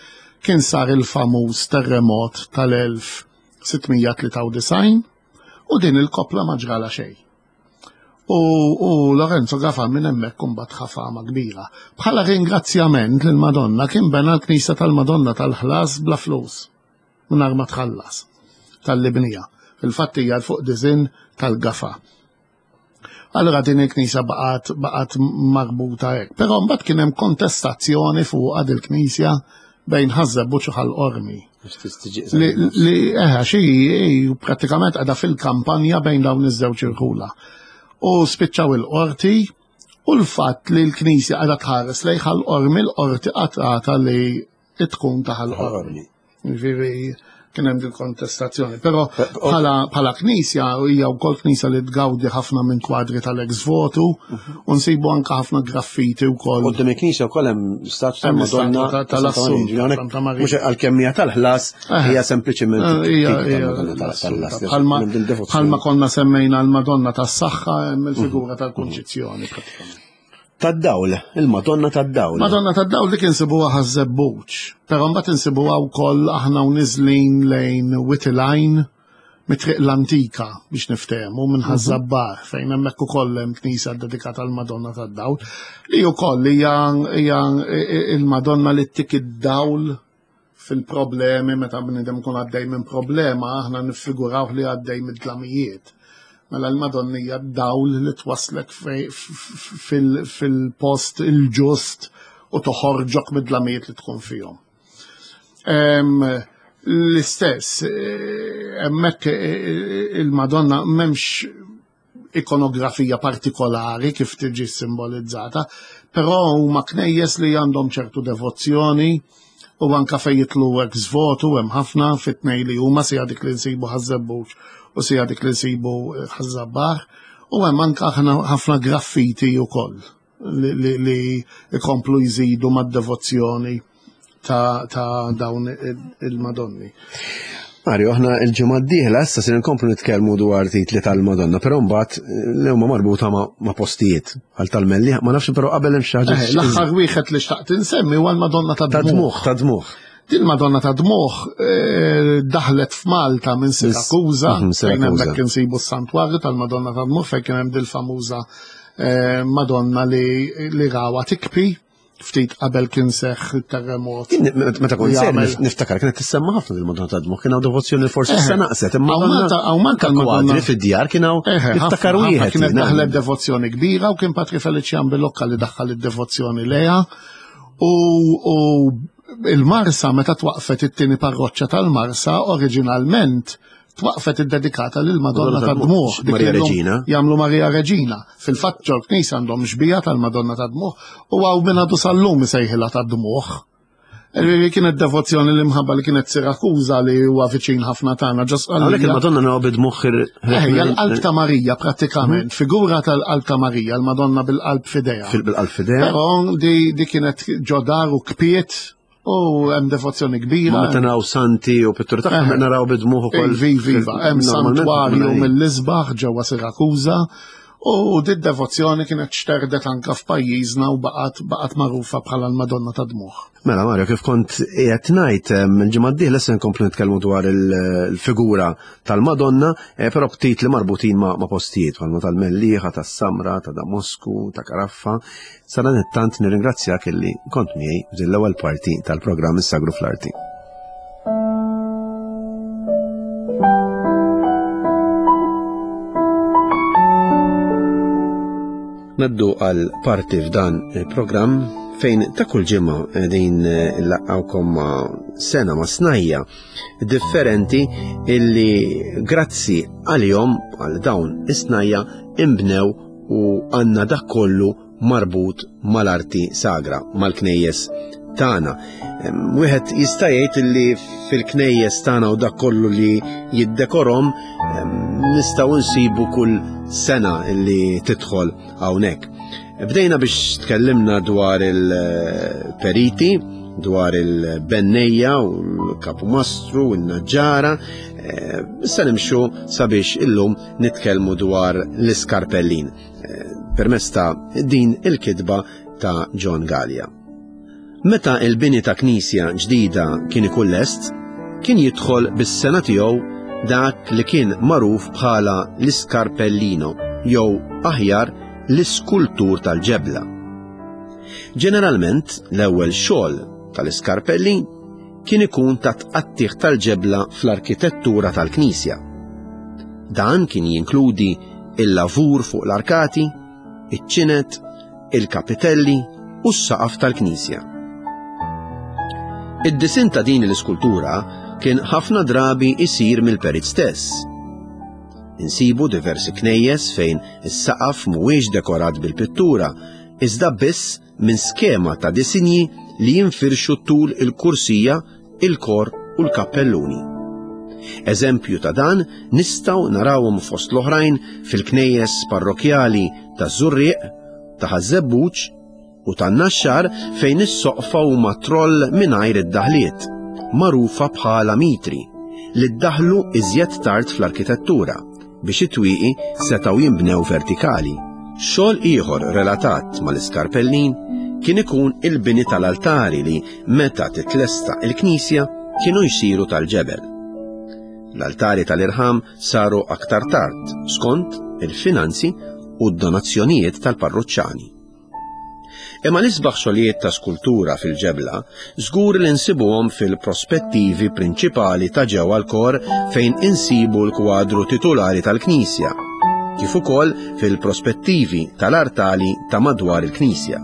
Speaker 2: kien sar il-famuż terremot tal-elf sitt mija tlieta u disgħin u din il-koppla ma ġrala xejn. U, u Lorenzo Gafà minn hemmhekk imbagħad ħa fama kbira. Bħala ringrazzjament lil Madonna kien bena l-Knisja tal-Madonna tal-ħlas bla flus. Mingħajr ma tħallas tal-libnija. Fil-fatt hija fuq disinn tal-Gafà. Allora din il-knisja baqgħet baqgħet marbuta hekk. Però mbagħad kien hemm kontestazzjoni fuq il-knisja bejn Ħaż-Żebbuġ u Ħal Qormi. Li, li eħe, xi prattikament għadha fil-kampanja bejn dawn iż-żewġ irħula. U spiċċaw il-qorti u l-fatt li l-knisja għadha tħares lejn Ħal Qormi, l-qorti qatgħatha li tkun ta' Ħal Qormi. Ġifieri kien hemm din kontestazzjoni. Però bħala bħala knisja hija wkoll knisja li tgawdi ħafna minn kwadri tal-ex votu u nsibu anke ħafna graffiti wkoll.
Speaker 1: Quddiem il-knisja wkoll hemm statwa
Speaker 2: Hemm
Speaker 1: tal-Madonna
Speaker 2: statwa ta- tal-Assunta, Santa Marija.
Speaker 1: Mhux għalkemm hija tal-ħlas,
Speaker 2: Eh.
Speaker 1: hija sempliċement
Speaker 2: Eh, hija-
Speaker 1: tip
Speaker 2: hija
Speaker 1: tal-Madonna tal-ħlas.
Speaker 2: Bħalma
Speaker 1: Hemm din devozzjoni.
Speaker 2: bħalma konna semmejna l-Madonna tas-Saħħa hemm il-figura tal-Kunċizzjoni pratikament.
Speaker 1: Tad-dawl, il-Madonna tad-dawl.
Speaker 2: Madonna tad-dawl dik insibuha Ħaż-Żebbuġ, però mbagħad insibuha wkoll aħna u niżlin lejn Wied il-Għajn mit-triq l-antika biex niftehmu minn Ħaż-Żabbar fejn hemmhekk ukoll hemm knisja dedikata għal Madonna tad-Dawl li wkoll hija hija il-Madonna li ttik id-dawl fil-problemi meta bniedem ikun għaddej minn problema aħna niffiguraw li għaddej mid-dlamijiet. Mela l-Madonna hija d-dawl li twaslek fej- f- fil- fil-post il-ġust u toħorġok mid-dlamijiet li tkun fihom. Em, L-istess, eh, hemmhekk eh, il-Madonna m'hemmx ikonografija partikolari kif tiġi simbolizzata, però huma knejjes li għandhom ċertu devozzjoni u anka fejn jitlu ex votu hemm ħafna fit-tnej li huma sija dik li nsibu Ħaż-Żebbuġ u sija dik li nsibu Ħaż-Żabbar u hemm anka ħafna ħafna graffiti wkoll li, li, li ikomplu jżidu mad-devozzjoni ta', ta dawn il-Madonni.
Speaker 1: Mario, aħna il-ġimgħa d-dieħla issa se nkomplu nitkellmu dwar titli tal-Madonna, però mbagħad eh, li huma marbuta ma', ma' postijiet għal tal-Melli, ma nafx però qabel hemm xi ħaġa
Speaker 2: Eh, L-aħħar wieħed li xtaqt insemmi huwa l-Madonna ta'
Speaker 1: ta'
Speaker 2: Dmuħ.
Speaker 1: dmuħ, ta' dmuħ.
Speaker 2: Din Madonna ta' Dmuħ eh, daħlet f'Malta minn Sirakuża,
Speaker 1: Mhm,
Speaker 2: fejn
Speaker 1: Sirakuża.
Speaker 2: hemmhekk insibu s-santwarju tal-Madonna ta' Dmuħ fejn kien hemm dil-famuża eh, Madonna li, li rawa tikpi Ftit qabel kien seħħ terremot.
Speaker 1: Meta kont ser niftakar kienet tissemma ħafna il-Madonna tad-Dmugħ, kien hawn devozzjoni forsi issa naqset, imma
Speaker 2: hawn Malta
Speaker 1: kwadri fid-djar kien hawn niftakar wieħed.
Speaker 2: Kienet daħlet devozzjoni kbira u kien Patri Felician Bilocca li daħħal id-devozzjoni lejha. U il-Marsa meta twaqfet it-tieni parroċċa tal-Marsa oriġinalment twaqfet iddedikata lil Madonna tad-Dmugħ.
Speaker 1: Maria Reġina.
Speaker 2: Jagħmlu Maria Reġina. Fil-fatt ġol-knisja għandhom xbija tal-Madonna tad-Dmugħ u hawn minn għadu sal-lum isejħilha tad-Dmugħ. Kienet devozzjoni li mħabba li kienet Sirakuża li huwa viċin ħafna tagħna.
Speaker 1: Għalhekk il-Madonna naraw bid-dmugħ.
Speaker 2: Hija l-qalb ta' Marija prattikament, figura tal-qalb ta' Marija, l-Madonna bil-qalb f'idejha.
Speaker 1: Bil-qalb f'idejha.
Speaker 2: Però di kienet ġodar u kpiet u hemm devozzjoni kbira.
Speaker 1: Meta naraw santi u pitturi tagħhom naraw bid-dmugħ ukoll.
Speaker 2: Viva, hemm santwarju mill-isbaħ ġewwa Sirakuża u di devozzjoni kienet xterdet anka f'pajjiżna u baqgħet baqgħet magħrufa bħala l-Madonna tad-Dmugħ.
Speaker 1: Mela Mario, kif kont qiegħed ngħid il-ġimgħa d-dieħla se nkomplu nitkellmu dwar il-figura tal-Madonna, però b'titli marbutin ma' postijiet bħalma tal-Mellieħa, tas-Samra, ta' Damosku, ta' Karaffa. Sadanittant nirringrazzjak illi kont miegħi f'din l-ewwel parti tal-programm Is-Sagru fl-Arti. Naddu għal parti f'dan il-programm fejn ta' kull ġimgħa qegħdin nlaqgħukom ma' sena ma' snajja differenti illi grazzi għalihom għal dawn is-snajja imbnew u għandna dak kollu marbut mal-arti sagra, mal-knejjes tagħna. Wieħed jista' jgħid illi fil-knejjes tagħna u dak kollu li jiddekorhom nistgħu nsibu kull sena illi tidħol hawnhekk. Bdejna biex tkellimna dwar il-periti, dwar il-bennejja u l-kapumastru u n-naġġara. Issa nimxu sabiex illum nitkellmu dwar l-iskarpellin permezz ta' din il-kitba ta' John Gallia. Meta il-bini ta' knisja ġdida kien ikun lest, kien jidħol bis-sena tiegħu dak li kien magħruf bħala l-iskarpellino jew aħjar l-iskultur tal-ġebla. Ġeneralment l-ewwel xogħol tal-iskarpellin kien ikun ta' tqattih tal-ġebla fl-arkitettura tal-knisja. Dan kien jinkludi il-lavur fuq l-arkati, iċ-ċinet, il-kapitelli u s-saqaf tal-knisja. Id-disin ta' din l-iskultura kien ħafna drabi isir mill-perit stess. Insibu diversi knejjes fejn is-saqaf mhuwiex dekorat bil-pittura, iżda biss minn skema ta' disinji li jinfirxu tul il-kursija, il-kor u l-kappelluni. Eżempju ta' dan nistgħu narawhom fost l-oħrajn fil-knejjes parrokjali ta' Żurrieq, ta' Ħaż-Żebbuġ u tan-Naxxar fejn is-soqfa huma troll mingħajr id-daħliet, magħrufa bħala mitri, li ddaħlu iżjed tard fl-arkitettura biex it-twieqi setgħu jinbnew vertikali. Xogħol ieħor relatat mal-iskarpellin kien ikun il-bini tal-altari li meta titlesta il-knisja kienu jsiru tal-ġebel. L-altari tal-irħam saru aktar tard skont il-finanzi u d-donazzjonijiet tal-parruċċani. Imma l-isbaħ xogħlijiet ta' skultura fil-ġebla żgur li nsibuhom fil-prospettivi prinċipali ta' ġewwa l-kor fejn insibu l-kwadru titulari tal-knisja, kif ukoll fil-prospettivi tal-artali ta' madwar il-knisja.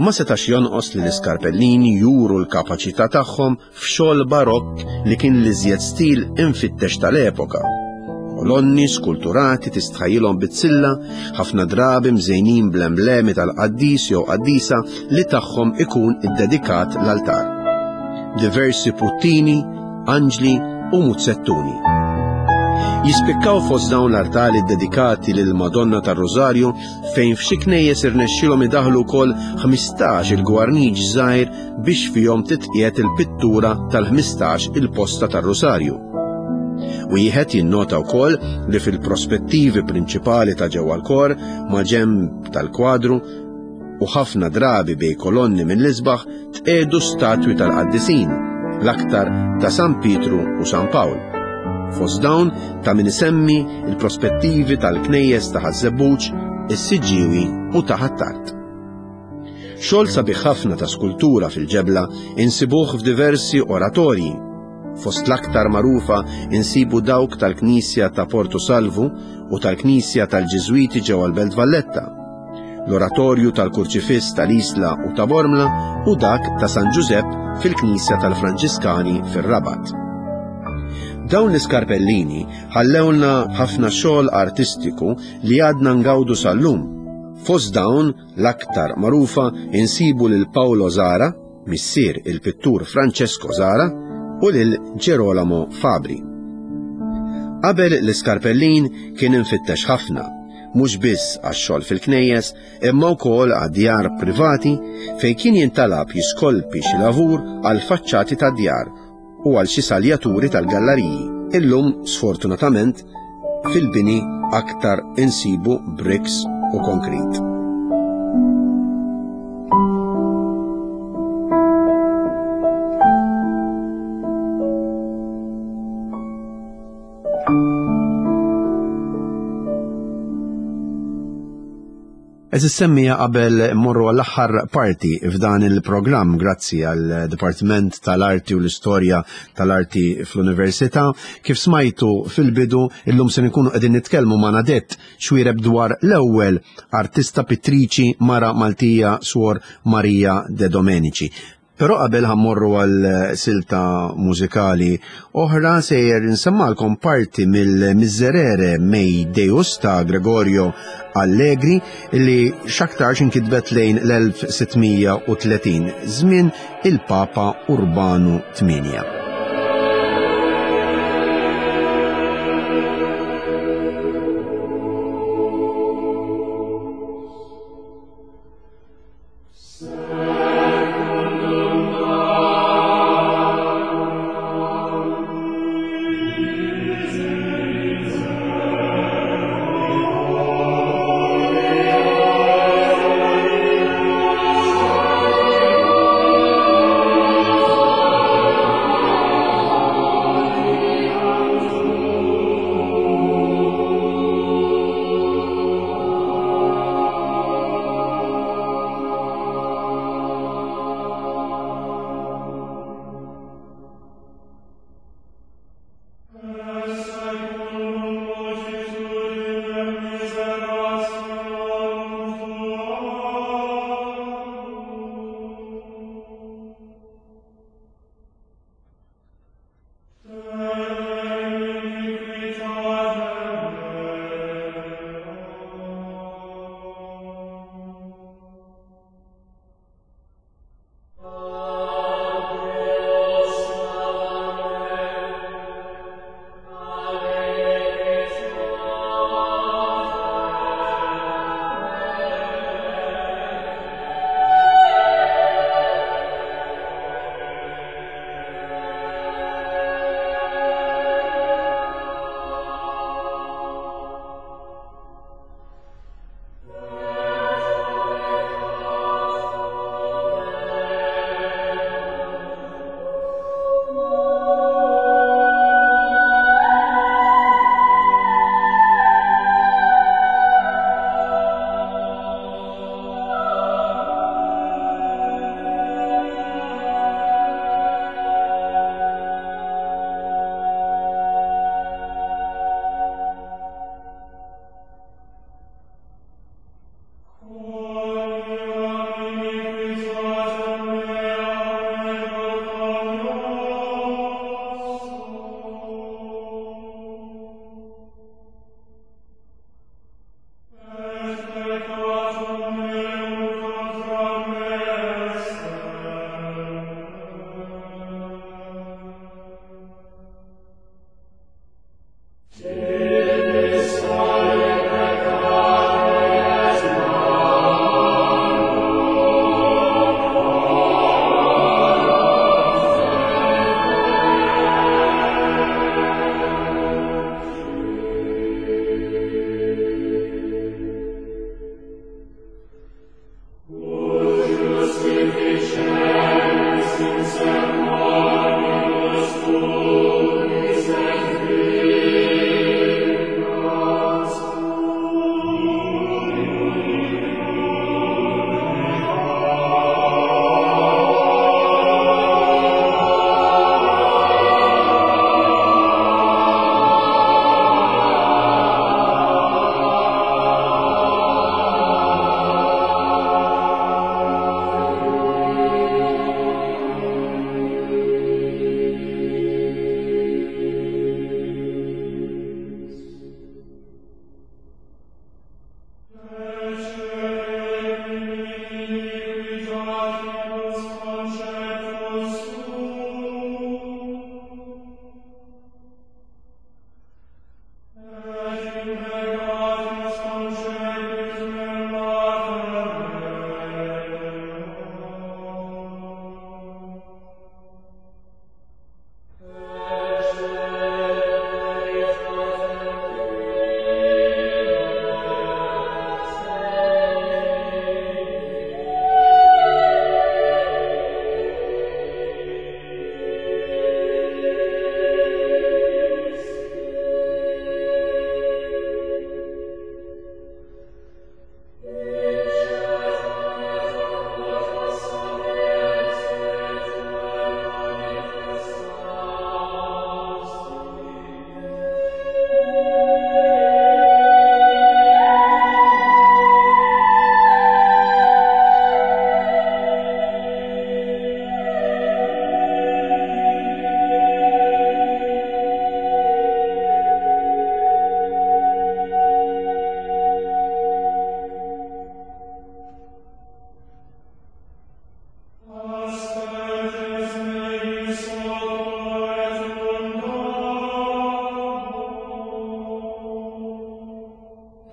Speaker 1: Ma setax jonqos li l-iskarpellini juru l-kapaċità tagħhom f'xogħol barokk li kien l-iżjed stil infittex tal-epoka. Kolonni skulturati tistħajjilhom bizzilla, ħafna drabi mżejnin bl-emblemi tal-qaddis jew qaddisa li tagħhom ikun iddedikat l-altar. Diversi puttini, anġli u muzzettuni. Jispikkaw fost dawn l-artali dedikati lil Madonna tar-Rożarju fejn f'xi knejjes irnexxielhom idaħlu wkoll ħmistax il-gwarniġ żgħir biex fihom titqiegħed il-pittura tal-ħmistax il-posta tar-Rosarju. Wieħed jinnota wkoll li fil-prospettivi prinċipali ta' ġewwa l-kor ma' ġenb tal-kwadru u ħafna drabi bej kolonni mill-isbaħ tqiegħdu statwi tal-qaddisin, l-aktar ta' San Pietru u San Pawl. Fost dawn ta' min isemmi il-prospettivi tal-knejjes ta' Ħaż-Żebbuġ, is-Siġġiewi u ta' Ħ'Attard. Xogħol sabiħ ħafna ta' skultura fil-ġebla insibuh f'diversi oratorji. Fost l-aktar magħrufa insibu dawk tal-Knisja ta' Porto Salvu u tal-Knisja tal-Ġiżwiti ġewwa l-Belt Valletta, l-Oratorju tal-Kurċifiss tal-Isla u ta' Bormla u dak ta' San Ġużepp fil-Knisja tal-Franġiskani fir-Rabat. Dawn l-iskarpellini ħallewlna ħafna xogħol artistiku li għadna ngawdu sal-lum. Fost dawn l-aktar magħrufa insibu lil Paolo Zara, missier il-pittur Francesco Zara, u lil Gerolamo Fabri. Qabel l-iskarpellin kien infittex ħafna, mhux biss għax-xogħol fil-knejjes, imma wkoll għad-djar privati fejn kien jintalab jiskolpi xi lavur għal faċċati tad-djar u għal xi saljaturi tal-galleriji. Illum, sfortunatament, fil-bini aktar insibu bricks u konkrit. Eżis semmija qabel morru għall-aħħar parti f'dan il-programm grazzi għal Dipartiment tal-Arti u l-Istorja tal-Arti fl-Università. Kif smajtu fil-bidu, illum se nkunu qegħdin nitkellmu ma' Nadette Xuereb dwar l-ewwel artista pittriċi mara Maltija Suor Maria de Domenici. Però qabel ħammorru għal silta mużikali oħra sejjer nsemmalkom parti mill-Miserere Mei Deus ta' Gregorio Allegri li x'aktarx inkitbet lejn l-elf sittmija u tletin żmien il-Papa Urbanu tmienja.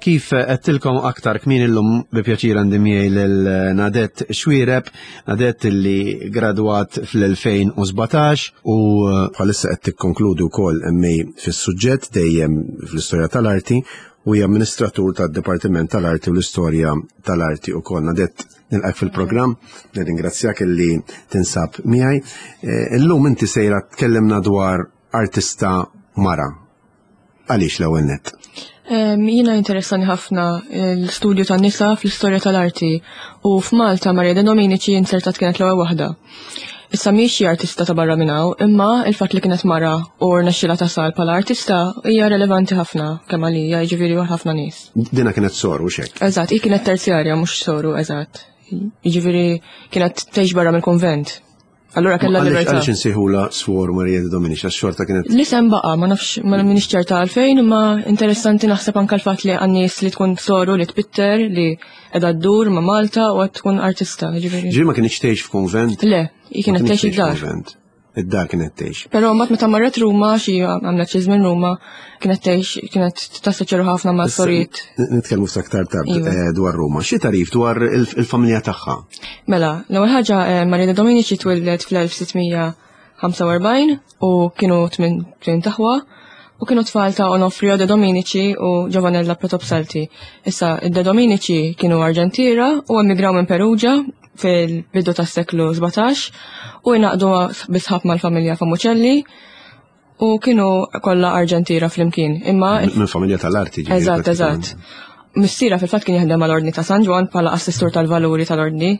Speaker 1: Kif għedtilkom aktar kmieni illum bi pjaċir għandi miegħi lil Nadette Xuereb, Nadette li gradwat fl-elfejn u sbatax u bħalissa qed tikkonkludi wkoll M A fis-suġġett dejjem fl-istorja tal-arti u hija amministratur tad-Dipartiment tal-Arti u l-Istorja tal-Arti wkoll. Nadette, nilqak fil-programm, nirringrazzjak illi tinsab miegħi. Eh, illum inti sejra tkellimna dwar artista mara. Għaliex l-ewwel nett?
Speaker 3: Em, jiena interessani ħafna l-studju tan-nisa fl-istorja tal-arti u f'Malta Maria De Dominici insertat kienet l-ewwel waħda. Issa mhix xi artista ta' barra minn hawn, imma il-fatt li kienet mara u rnexxilha tasal bħala artista hija relevanti ħafna kemm għalija, jiġifieri għal ħafna nies.
Speaker 1: Dina kienet soru x'hekk?
Speaker 3: Eżatt, hi kienet terzjarja mhux soru, eżatt. Jiġifieri kienet tgħix barra mill-kunvent. Allura kellha
Speaker 1: Għaliex
Speaker 3: libertà.
Speaker 1: Għaliex insejħulha Swor Maria De Dominici, għax xorta kienet
Speaker 3: L-isem baqa', ma nafx, ma minix ċerta għalfejn, imma interessanti naħseb anke l-fatt li għan-nies li tkun soru li tpitter, li qiegħda ddur ma' Malta u qed tkun artista, jiġifieri.
Speaker 1: Ġifieri ma kienx tgħix f'kunvent?
Speaker 3: Le, hi kienet
Speaker 1: Ma kienx
Speaker 3: tgħix
Speaker 1: tgħix
Speaker 3: id-dar.
Speaker 1: f'kunvent. Id-dar kienet tgħix.
Speaker 3: Però mbagħad meta marret Ruma, xi għamlet xi żmien Ruma, kienet tgħix, kienet tassoċja ħafna ma'
Speaker 1: Issa,
Speaker 3: sorijiet.
Speaker 1: n-, nitkellmu ftit aktar tard,
Speaker 3: Iva.
Speaker 1: eh, dwar Ruma. Xi tarif dwar il-, il-familja tagħha?
Speaker 3: Mela, l-ewwel ħaġa, eh, Maria De Dominici twildet fl-elf sittmija ħamsa u erbgħin u kienu tmien, tmien taħwa u kienu tfal ta' Onofrio De Dominici u Giovanella Protopsalti. Issa, id-De Dominici kienu Arġentira u emigraw minn Perugia fil-bidu tas-seklu sbatax u jnaqdu bisħab mal-familja Famucelli u kienu kollha Arġentira flimkien. Imma
Speaker 1: Minn, minn familja tal-arti, ġifieri,
Speaker 3: Eżatt,
Speaker 1: pratikament.
Speaker 3: eżatt. Missiera fil-fatt kien jaħdem mal-Ordni ta' San Ġwann bħala assistur tal-valuri tal-Ordni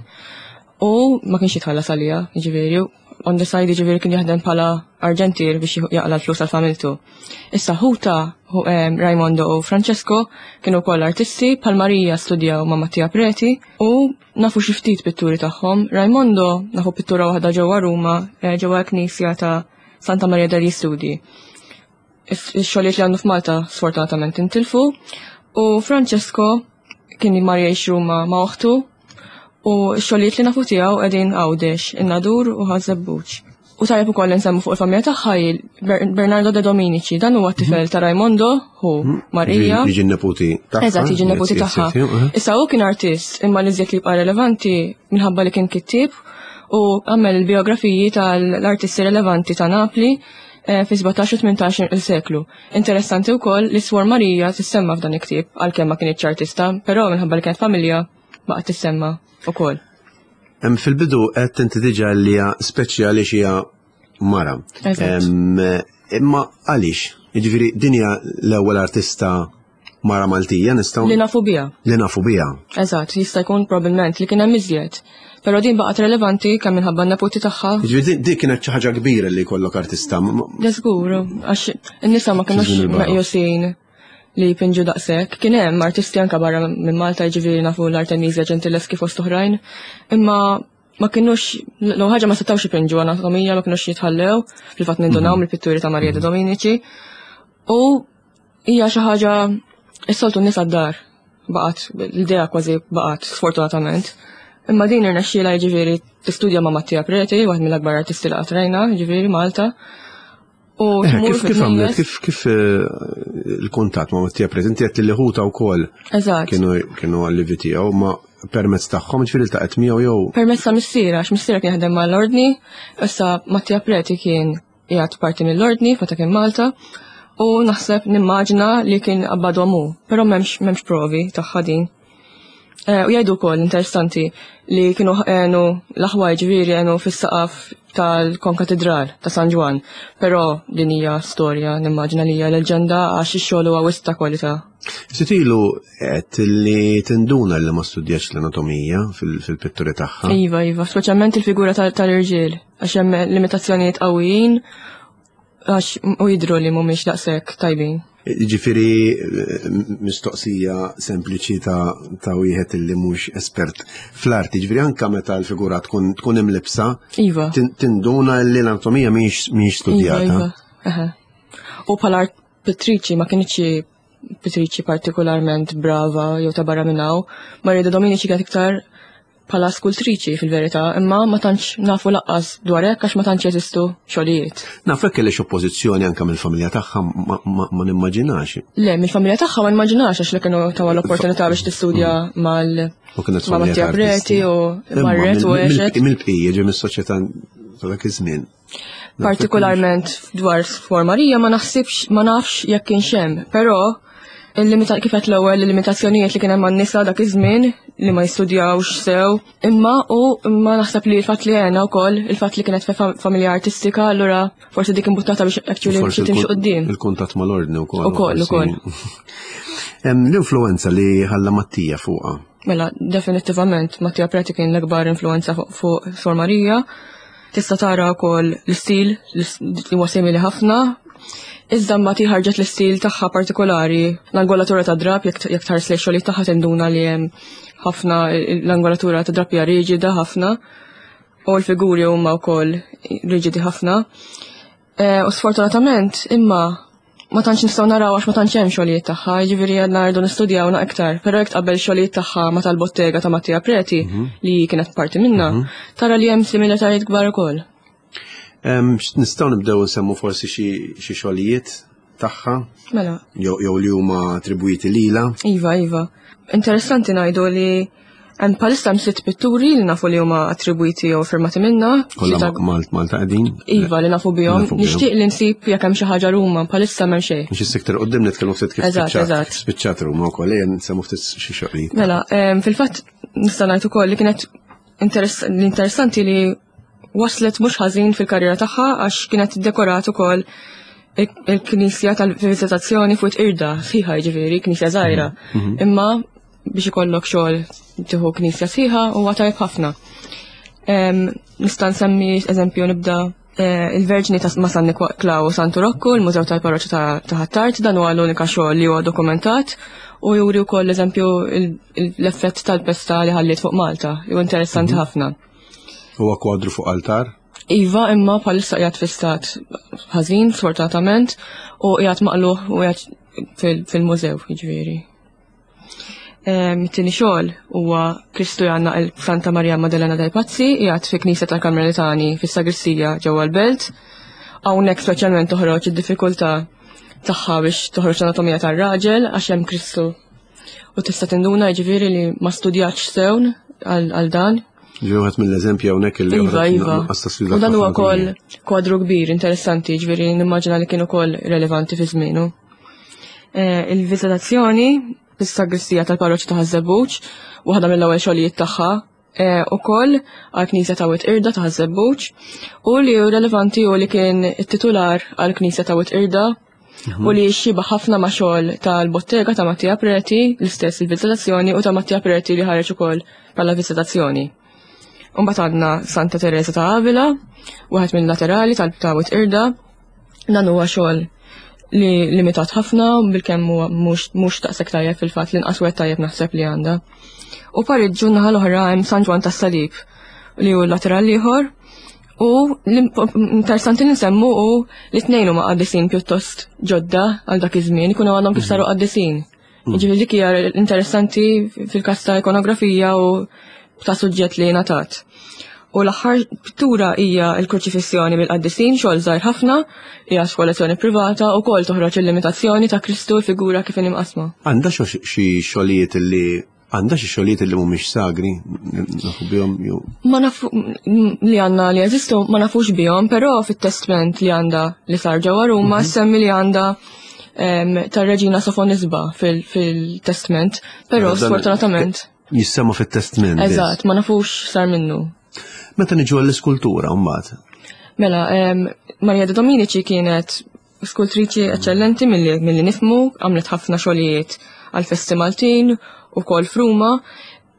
Speaker 3: u ma kienx jitħallas għalija, jiġifieri, on the side jiġifieri kien jaħdem bħala Arġentir biex jieħu-, jaqla l-flus għal familtu. Issa ħuta, hu, em, Raimondo u Francesco kienu wkoll artisti, bħal Marija studjaw ma' Mattia Preti u nafu xi ftit pitturi tagħhom. Raimondo nafu pittura waħda ġewwa Ruma, eh, ġewwa l-Knisja ta' Santa Maria degli Studi. Is-, ix-xogħlijiet li għandu f'Malta sfortunatament intilfu u Francesco kien mar jgħix Ruma ma' oħtu u x-xogħlijiet li nafu tiegħu qegħdin Għawdex, in-Nadur u Ħaż-Żebbuġ. U tajjeb ukoll nsemmu fuq il-familja tagħha hi Ber-, Bernardo De Dominici, dan huwa t-tifel ta' Raimondo, hu
Speaker 1: Mhm.
Speaker 3: Marija.
Speaker 1: Jiġi n-neputi tagħha.
Speaker 3: Eżatt, jiġi n-neputi
Speaker 1: Yes, yes,
Speaker 3: tagħha.
Speaker 1: yes, yes,
Speaker 3: Issa hu kien artist, imma li żjed li jibqa' relevanti minħabba li kien kittieb u għamel il-biografiji tal-artisti relevanti ta' Napli, eh, fi sbatax u tmintax il-seklu. Interessanti wkoll li Swor Marija tissemma f'dan il-ktieb, għalkemm ma kienx artista, però minħabba li kienet familja baqgħet tissemma wkoll.
Speaker 1: Hemm fil-bidu qed inti diġà li hija speċjali xi hija mara.
Speaker 3: Eżatt.
Speaker 1: Em, imma għaliex? Jiġifieri din hija l-ewwel artista mara Maltija nistgħu
Speaker 3: Li nafu biha.
Speaker 1: Li nafu biha.
Speaker 3: Eżatt, jista' jkun probabbilment li kien hemm iżjed. Però din baqgħet relevanti kemm minħabba n-neputi tagħha.
Speaker 1: Jiġifieri din, din kienet xi ħaġa kbira li jkollok artista. Ma-, ma-,
Speaker 3: Le żgur, għax in-nisa ma kinux
Speaker 1: Fi żmien il-barokk.
Speaker 3: meqjusin li jpinġu daqshekk. Kien hemm artisti anke barra minn Malta, jiġifieri nafu l-Artemisia Gentileschi fost oħrajn, imma ma kinux, l-ewwel ħaġa ma setgħux ipinġu anatomija, ma kinux jitħallew, fil-fatt nindunaw
Speaker 1: Mhm.
Speaker 3: mill-pitturi ta' Maria De Dominici. U hija xi ħaġa is-soltu n-nisa d-dar baqgħet, l-idea kważi baqgħet sfortunatament. Imma din irnexxielha jiġifieri tistudja ma' Mattia Preti, waħed mill-akbar artisti li qatt rajna, jiġifieri Malta. U
Speaker 1: Eh,
Speaker 3: tmur
Speaker 1: Kif kif għamlet,
Speaker 3: fil-knejjes.
Speaker 1: kif kif eh, il-kuntatt ma' Mattia Preti, inti għedt li ħuta wkoll
Speaker 3: Eżatt.
Speaker 1: kienu kienu allievi tiegħu, ma permezz tagħhom ġifieri iltaqgħet miegħu jew
Speaker 3: Permezz ta' missiera, għax missiera kien jaħdem mal-ordni, issa Mattia Preti kien qiegħed parti mill-ordni meta kien Malta, u naħseb nimmaġina li kien qabbadhom hu, però m'hemmx m'hemmx provi tagħha din. Eh, U jgħidu wkoll interessanti li kienu għenu l-aħwa ġifieri għenu fis-saqaf tal-Konkatedral ta' San Ġwann, però din hija storja nimmaġina li hija leġenda għax ix-xogħol huwa wisq ta' kwalità.
Speaker 1: Ftit ilu għedt li tinduna li ma studjax l-anatomija fil- fil-pitturi tagħha.
Speaker 3: Iva, iva, speċjalment il-figura tal- tal-irġiel, għax hemm limitazzjonijiet qawwijin għax u jidhru li mhumiex daqshekk tajbin.
Speaker 1: Ġifieri eh, mistoqsija sempliċi ta' ta' wieħed illi mhux espert fl-arti, ġifieri anka meta l-figura tkun tkun imlibsa,
Speaker 3: Iva.
Speaker 1: tin- tinduna li l-anatomija mhix mhix
Speaker 3: Iva,
Speaker 1: studjata.
Speaker 3: iva. Eħe. U bħala art pittriċi ma kinitx pittriċi partikolarment brava jew ta' barra minn hawn. Maria de Dominici kienet iktar bħala skultriċi fil-verità, imma ma tantx nafu lanqas dwar hekk għax ma tantx jeżistu xogħlijiet.
Speaker 1: Naf hekk kellha oppożizzjoni anka mill-familja tagħha ma, ma, ma nimmaġinax.
Speaker 3: Le, mill-familja tagħha ma nimmaġinax għax li kienu tawha l-opportunità biex tistudja mal
Speaker 1: U kienet
Speaker 3: ma'
Speaker 1: familja
Speaker 3: Mattia
Speaker 1: ta'
Speaker 3: Preti
Speaker 1: artisti.
Speaker 3: u
Speaker 1: Imma
Speaker 3: marret u
Speaker 1: mill- mill-
Speaker 3: għexet.
Speaker 1: Mill-bqija ġie mis-soċjetà ta' dak iż-żmien.
Speaker 3: Partikolarment dwar Suor Marija ma naħsibx ma nafx jekk kienx hemm, però il-limita kif qed l-ewwel il-limitazzjonijiet li kien hemm għan-nisa dak iż-żmien li ma jistudjawx sew, imma u imma naħseb li l-fatt li għena wkoll il-fatt li kienet fa- familja artistika, allura forsi dik imbuttata biex actually
Speaker 1: Forsi
Speaker 3: biex timxi
Speaker 1: il-kun-
Speaker 3: quddiem.
Speaker 1: Il-kuntatt mal-ordni wkoll.
Speaker 3: Ukoll,
Speaker 1: forsi.
Speaker 3: ukoll.
Speaker 1: Hemm L-influenza li ħalla Mattia fuqha.
Speaker 3: Mela, definitivament Mattia Preti kien l-akbar influenza fuq fuq Suor Marija. Tista' tara wkoll l-istil li huwa simili ħafna. Iżda mbagħad ħarġet l-istil tagħha partikolari, l-angolatura ta' drap, jekk jekk tħares lejn xogħlijiet tagħha tinduna li hemm ħafna l-angolatura ta' drap hija riġida ħafna u l-figuri huma wkoll riġidi ħafna. Eh, U sfortunatament imma ma tantx nistgħu naraw għax ma tantx hemm xogħlijiet tagħha, jiġifieri għadna rridu nistudjawna iktar. Però jekk tqabbel xogħlijiet tagħha ma tal-bottega ta' Mattia Preti li kienet parti minna, tara li hemm similitajiet kbar ukoll.
Speaker 1: Em, x- Nistgħu nibdew nsemmu forsi xi xi xogħlijiet tagħha
Speaker 3: Mela,
Speaker 1: jew jew li huma attribwiti lilha.
Speaker 3: iva, iva. Interessanti ngħidu li hemm bħalissa hemm sitt pitturi li nafu li huma attribwiti jew firmati minna.
Speaker 1: Kollha
Speaker 3: Tlieta-
Speaker 1: Ma- Malt Malta qegħdin.
Speaker 3: Iva li nafu bihom.
Speaker 1: Nafu bihom.
Speaker 3: Nixtieq li nsib jekk hemm xi ħaġa Ruma, bħalissa m'hemm xejn.
Speaker 1: Mhux is-sektor quddiem nitkellmu ftit kif
Speaker 3: Eżatt,
Speaker 1: spiċċat.
Speaker 3: eżatt.
Speaker 1: Spiċċat Ruma wkoll, ejja nsemmu ftit xi xogħlijiet.
Speaker 3: Mela, em, fil-fatt nista' ngħid ukoll li kienet interess- l-interessanti li waslet mhux ħażin fil-karriera tagħha għax kienet iddekorat ukoll il- il-knisja tal-viżitazzjoni fuq irda sħiħa jiġifieri, knisja żgħira. Imma biex ikollok xogħol tieħu knisja sħiħa huwa tajjeb ħafna. Em, Nista' nsemmi eżempju nibda eh, il-Verġni ta' ma' San Niklaw u Santu Rokku, il-Mużew tal-Parroċċa ta' ta' Ħ'Attard, dan huwa l-unika xogħol li huwa dokumentat u juri wkoll eżempju il- il- l-effett tal-pesta li ħalliet fuq Malta, li huwa interessanti ħafna.
Speaker 1: Huwa kwadru fuq altar.
Speaker 3: Iva, imma bħalissa qiegħed fi stat ħażin, sfortunatament, u qiegħed maqlugħ u qiegħed fil- fil-mużew, jiġifieri. Em, It-tieni xogħol huwa Kristu jgħannaq il Santa Maria Maddalena dei Pazzi, qiegħed fi Knisja tal-Karmelitani fis-Sagristija ġewwa l-Belt. Hawnhekk speċjalment toħroġ id-diffikultà tagħha biex toħroġ l-anatomija tar-raġel għax hemm Kristu. U tista' tinduna jiġifieri li ma studjatx sew għal għal dan.
Speaker 1: Ġi wieħed mill-eżempji hawnhekk li
Speaker 3: Iva,
Speaker 1: joħroġ
Speaker 3: iva.
Speaker 1: nuqqas ta' studjat
Speaker 3: U dan huwa
Speaker 1: ħafna
Speaker 3: wkoll kwadru kbir, interessanti, ġifieri nimmaġina li kien ukoll relevanti fi żmienu. Eh, Il-viżitazzjoni fis-sagristija tal-parroċċa ta' Ħaż-Żebbuġ, waħda mill-ewwel xogħlijiet tagħha, eh, ukoll għall-Knisja ta' Wied Qirda ta' Ħaż-Żebbuġ, u li hu relevanti u li kien it-titular għall-Knisja ta' Wied Qirda u li xibah ħafna ma' xogħol tal-bottega ta' Mattia Preti, l-istess il-viżitazzjoni, u ta' Mattia Preti li ħareġ ukoll bħala viżitazzjoni. Umbagħad għandna Santa Teresa ta' Avila, wieħed mill-laterali tal-ta' Wied Qirda. Dan huwa xogħol li limitat ħafna bilkemm huwa mhux mhux daqshekk tajjeb fil-fatt l-inqas wieħed tajjeb naħseb li għandha. U pariġġu naħa l-oħra hemm San Ġwann tas-Salib li hu l-lateral ieħor. U l-interessanti li nsemmu hu li tnejn huma qaddisin pjuttost ġodda għal dak iż-żmien, ikunu għadhom kif saru qaddisin. Jiġifieri dik hija interessanti fil-każ ta' ikonografija u ta' suġġett li ngħatat. U l-aħħar pittura hija l-Kruċifissjoni mill-Qaddisin, xogħol żgħir ħafna, hija f'kollezzjoni privata u kol toħroġ il-limitazzjoni ta' Kristu figura kif imqasma.
Speaker 1: Għandha xi xogħlijiet li għandha xi xogħlijiet li mhumiex sagri nafu bihom jew
Speaker 3: Ma nafu li għandna li jeżistu ma nafux bihom, però fit-testment li għandha li sar ġewwa Ruma semmi li għandha tar-Reġina Sofonisba fil-testment, però sfortunatament
Speaker 1: jissemma fit-testment.
Speaker 3: Eżatt, ma nafux sar minnu.
Speaker 1: Meta niġu għall-iskultura mbagħad?
Speaker 3: Mela, Maria de Dominici kienet skultriċi eċċellenti milli nifhmu, għamlet ħafna xogħlijiet għal festi Maltin u kol f'Ruma.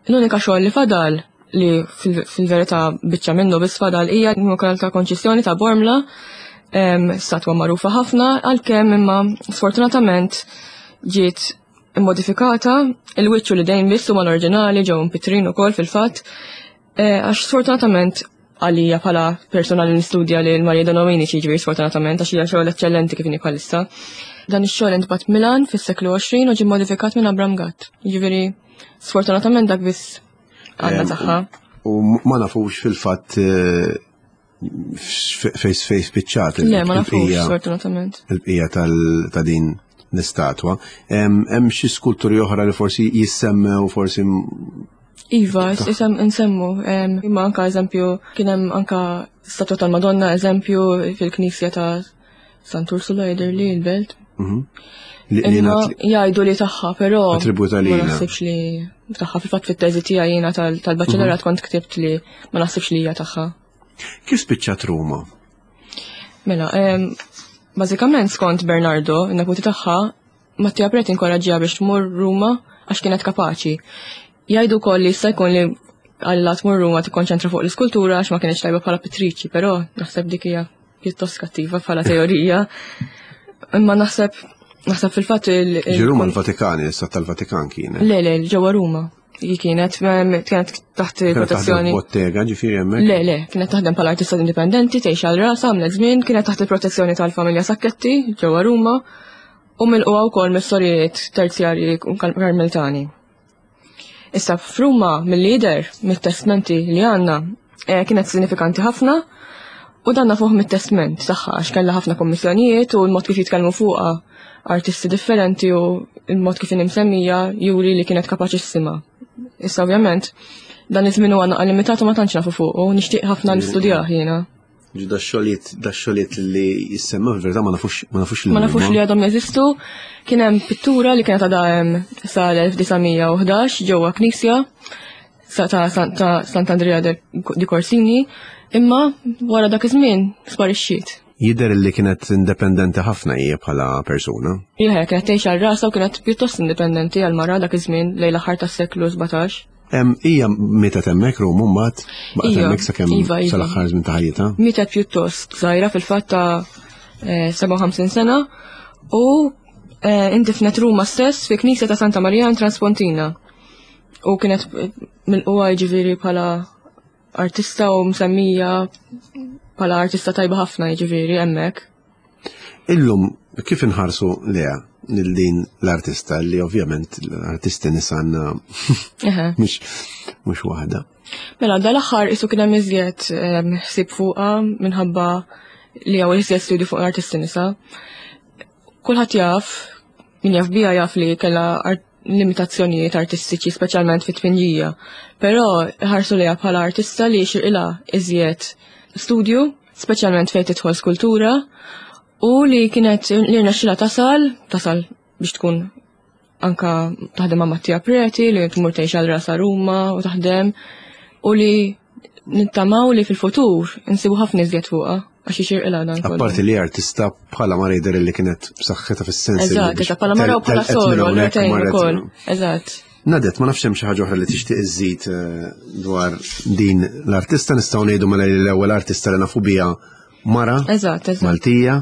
Speaker 3: L-unika xogħol li fadal li fil-verità biċċa minnu biss fadal hija l-Immakulata ta' Konċizzjoni ta' Bormla, statwa magħrufa ħafna, għalkemm imma sfortunatament ġiet immodifikata, il-wiċċ u l-idejn biss huma l-oriġinali ġew impitrin ukoll fil-fatt. Għax sfortunatament għalija bħala persona li nistudja li l-Maria de Dominici, ġifieri sfortunatament għax hija xogħol eċċellenti kif inhi bħalissa. Dan ix-xogħol intbagħat Milan fis-seklu għoxrin u ġie modifikat minn Abram Gatt. Ġifieri sfortunatament dak biss għandna tagħha.
Speaker 1: U ma nafux fil-fatt fejn fejn spiċċat.
Speaker 3: Le, ma nafux sfortunatament.
Speaker 1: Il-bqija ta' din l-istatwa. Hemm xi skulturi oħra li forsi jissemmew forsi
Speaker 3: Iva, isem nsemmu, imma anka eżempju, kien hemm anka statwa tal-Madonna, eżempju, fil-knisja ta' Sant'Ursula jidher li l-belt. Imma jgħidu li tagħha, però
Speaker 1: Attributa
Speaker 3: ma
Speaker 1: lilha.
Speaker 3: naħsibx li tagħha. Fil-fatt fit-teżi tiegħi jiena tal-baċellerat kont ktibt li ma naħsibx li hija tagħha.
Speaker 1: Kif spiċċat Ruma?
Speaker 3: Mela, bażikament skont Bernardo, in-neputi tagħha, Mattia Preti inkoraġġiha biex tmur Ruma għax kienet kapaċi. Jgħidu wkoll li jista' jkun li għalla tmur Ruma tikkonċentra fuq l-iskultura għax ma kienx tajba bħala pittriċi, però naħseb dik hija pjuttost kattiva bħala teorija. Imma naħseb naħseb fil-fatt il- il-
Speaker 1: Ġi Ruma l-Vatikan, l-Istat tal-Vatikan kienet.
Speaker 3: Le, le, ġewwa Ruma. Hi kienet, kienet taħt protezzjoni.
Speaker 1: Bottega, ġifieri hemmhekk?
Speaker 3: Le, le, kienet taħdem bħala artista indipendenti, tgħix għal rasha, għamlet żmien, kienet taħt il-protezzjoni tal-familja Sacchetti ġewwa Ruma u milquha wkoll mis-sorijiet terzjarji Karmelitani. Issa f'Ruma mill-lider, mit-testmenti li għandna, kienet sinifikanti ħafna u danna fuq mit-testment tagħha għax kellha ħafna kommissjonijiet u l-mod kif jitkellmu fuqha artisti differenti u l-mod kif imsemmija juri li kienet kapaċissima. Issa ovvjament dan iż-żmien huwa naqa' limitat u ma tantx nafu fuq u nixtieq ħafna nistudjah jiena.
Speaker 1: Ġi da xogħlijiet, da xogħlijiet li jissemmew fil-verità ma nafux, ma nafux li
Speaker 3: Ma nafux
Speaker 1: huma.
Speaker 3: li għadhom jeżistu. Kien hemm pittura li kienet għadha hemm sal-elf disa' mija u ħdax ġewwa knisja ta' ta' Sant'Andrea di Corsini, imma wara dak iż-żmien sparixxiet.
Speaker 1: Jidher li kienet indipendenti ħafna hija bħala persuna.
Speaker 3: Iva, kienet tgħix għal rasha u kienet pjuttost indipendenti għal mara dak iż-żmien lejn l-aħħar tas-seklu sbatax.
Speaker 1: Hija mietet hemmhekk Ruma mbagħad baqgħet
Speaker 3: Iva,
Speaker 1: hemmhekk sakemm
Speaker 3: iva, iva.
Speaker 1: sal-aħħar żmien ta' ħajjitha.
Speaker 3: Mietet pjuttost żgħira fil-fatt ta' eh, sebgħa u ħamsin sena u eh, indifnet Ruma stess fi knisja ta' Santa Maria in Transpontina. U kienet milquha jiġifieri bħala artista u msemmija bħala artista tajba ħafna jiġifieri hemmhekk.
Speaker 1: Illum kif inħarsu leha lil din l-artista li ovvjament l-artisti nisa għandna
Speaker 3: Eħe.
Speaker 1: mhux mhux waħda.
Speaker 3: Mela dal-aħħar isu kien hemm iżjed, ehm, ħsieb fuqha minħabba li hawn iżjed studju fuq l-artisti nisa. Kulħadd jaf, min jaf biha jaf li kellha art-, limitazzjonijiet artistiċi, speċjalment fit-tpinġija. Però ħarsu lejha bħala artista li xirqilha iżjed studju, speċjalment fejn tidħol skultura, u li kienet li rnexxilha tasal, tasal biex tkun anka taħdem ma' Mattia Preti, li tmur tgħix għal rasa Ruma u taħdem, u li nittamaw li fil-futur insibu ħafna iżjed fuqha għax ixirqilha dan kollu.
Speaker 1: Apparti li artista bħala mara jidher li kienet b'saħħitha fis-sens li
Speaker 3: Eżatt,
Speaker 1: biex
Speaker 3: eżatt, bħala mara u bħala
Speaker 1: telqet minn
Speaker 3: soru,
Speaker 1: hawnhekk
Speaker 3: għal-retejn
Speaker 1: marret
Speaker 3: ukoll.
Speaker 1: minn
Speaker 3: Eżatt.
Speaker 1: Nadet, ma nafx hemm xi ħaġa oħra li tixtieq iżżid, eh, dwar din l-artista, nistgħu ngħidu mela li l-ewwel artista li nafu biha mara
Speaker 3: Eżatt, eżatt.
Speaker 1: Maltija.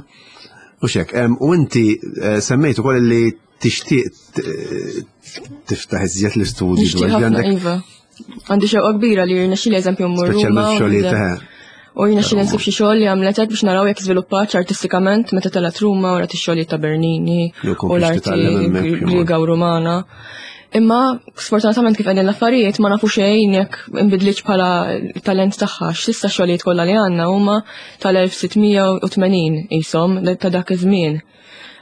Speaker 1: U xek, em, u inti, eh, semmejt ukoll li tixtieq t-, tiftaħ iżjed l-istudju
Speaker 3: Nixtieq
Speaker 1: dwar
Speaker 3: ħafna,
Speaker 1: għandek
Speaker 3: iva. Għandi xewqa kbira li jirnexxieli eżempju mmur Ruma
Speaker 1: Speċjalment
Speaker 3: u
Speaker 1: xogħlijiet,
Speaker 3: nibda-
Speaker 1: eħe.
Speaker 3: U jirnexxieli nsib xi xogħol li għamlet hekk biex naraw jekk żviluppat artistikament meta telgħet Ruma u rat ix-xogħlijiet ta' Bernini
Speaker 1: Jew
Speaker 3: u
Speaker 1: komplix
Speaker 3: l-arti
Speaker 1: titgħallem hemmhekk, jew
Speaker 3: Griega u Rumana. Imma sfortunatament kif qegħdin l-affarijiet ma nafu xejn jekk inbidlitx bħala talent tagħha, x'issa xogħlijiet kollha li għandna huma tal-elf sitt mija u tmenin qishom ta' dak iż-żmien.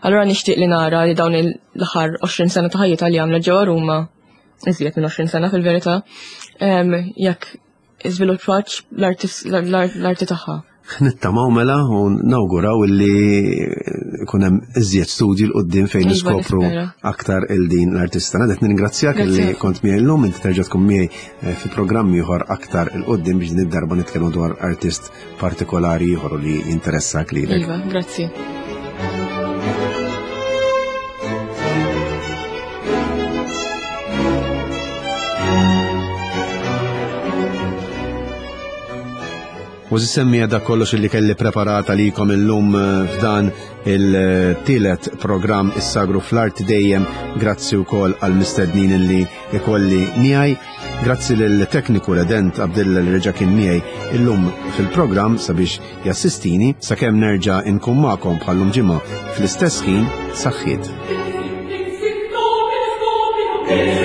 Speaker 3: Allura nixtieq li nara li dawn l-aħħar għoxrin sena ta' ħajjitha li għamlet ġewwa Ruma, iżjed minn għoxrin sena fil-verità, jekk iżviluppatx l-arti tagħha.
Speaker 1: Nittamaw mela u nawguraw illi ikun hemm iżjed studji 'l quddiem fejn
Speaker 3: Iva,
Speaker 1: niskopru
Speaker 3: nispera.
Speaker 1: aktar il din l-artista. Nadet ningrazzjak
Speaker 3: Grazzi
Speaker 1: illi
Speaker 3: ħafna.
Speaker 1: kont miegħi llum, inti terġa' tkun miegħi eh, fi programm ieħor aktar 'il quddiem biex din id-darba nitkellmu dwar artist partikolari ieħor li jinteressak lilek.
Speaker 3: Iva, grazzi.
Speaker 1: U semmi da kollox illi kelli preparata likom illum eh, f'dan il-tielet programm Is-Sagru fl-Arti dejjem grazzi wkoll għal mistednin illi ikolli miegħi. Grazzi lill-tekniku Redent Abdilla li reġa' kien miegħi illum fil-programm sabiex jassistini sakemm nerġa' inkun magħkom bħallum ġimgħa fl-istess ħin saħħiet.
Speaker 4: Thank you.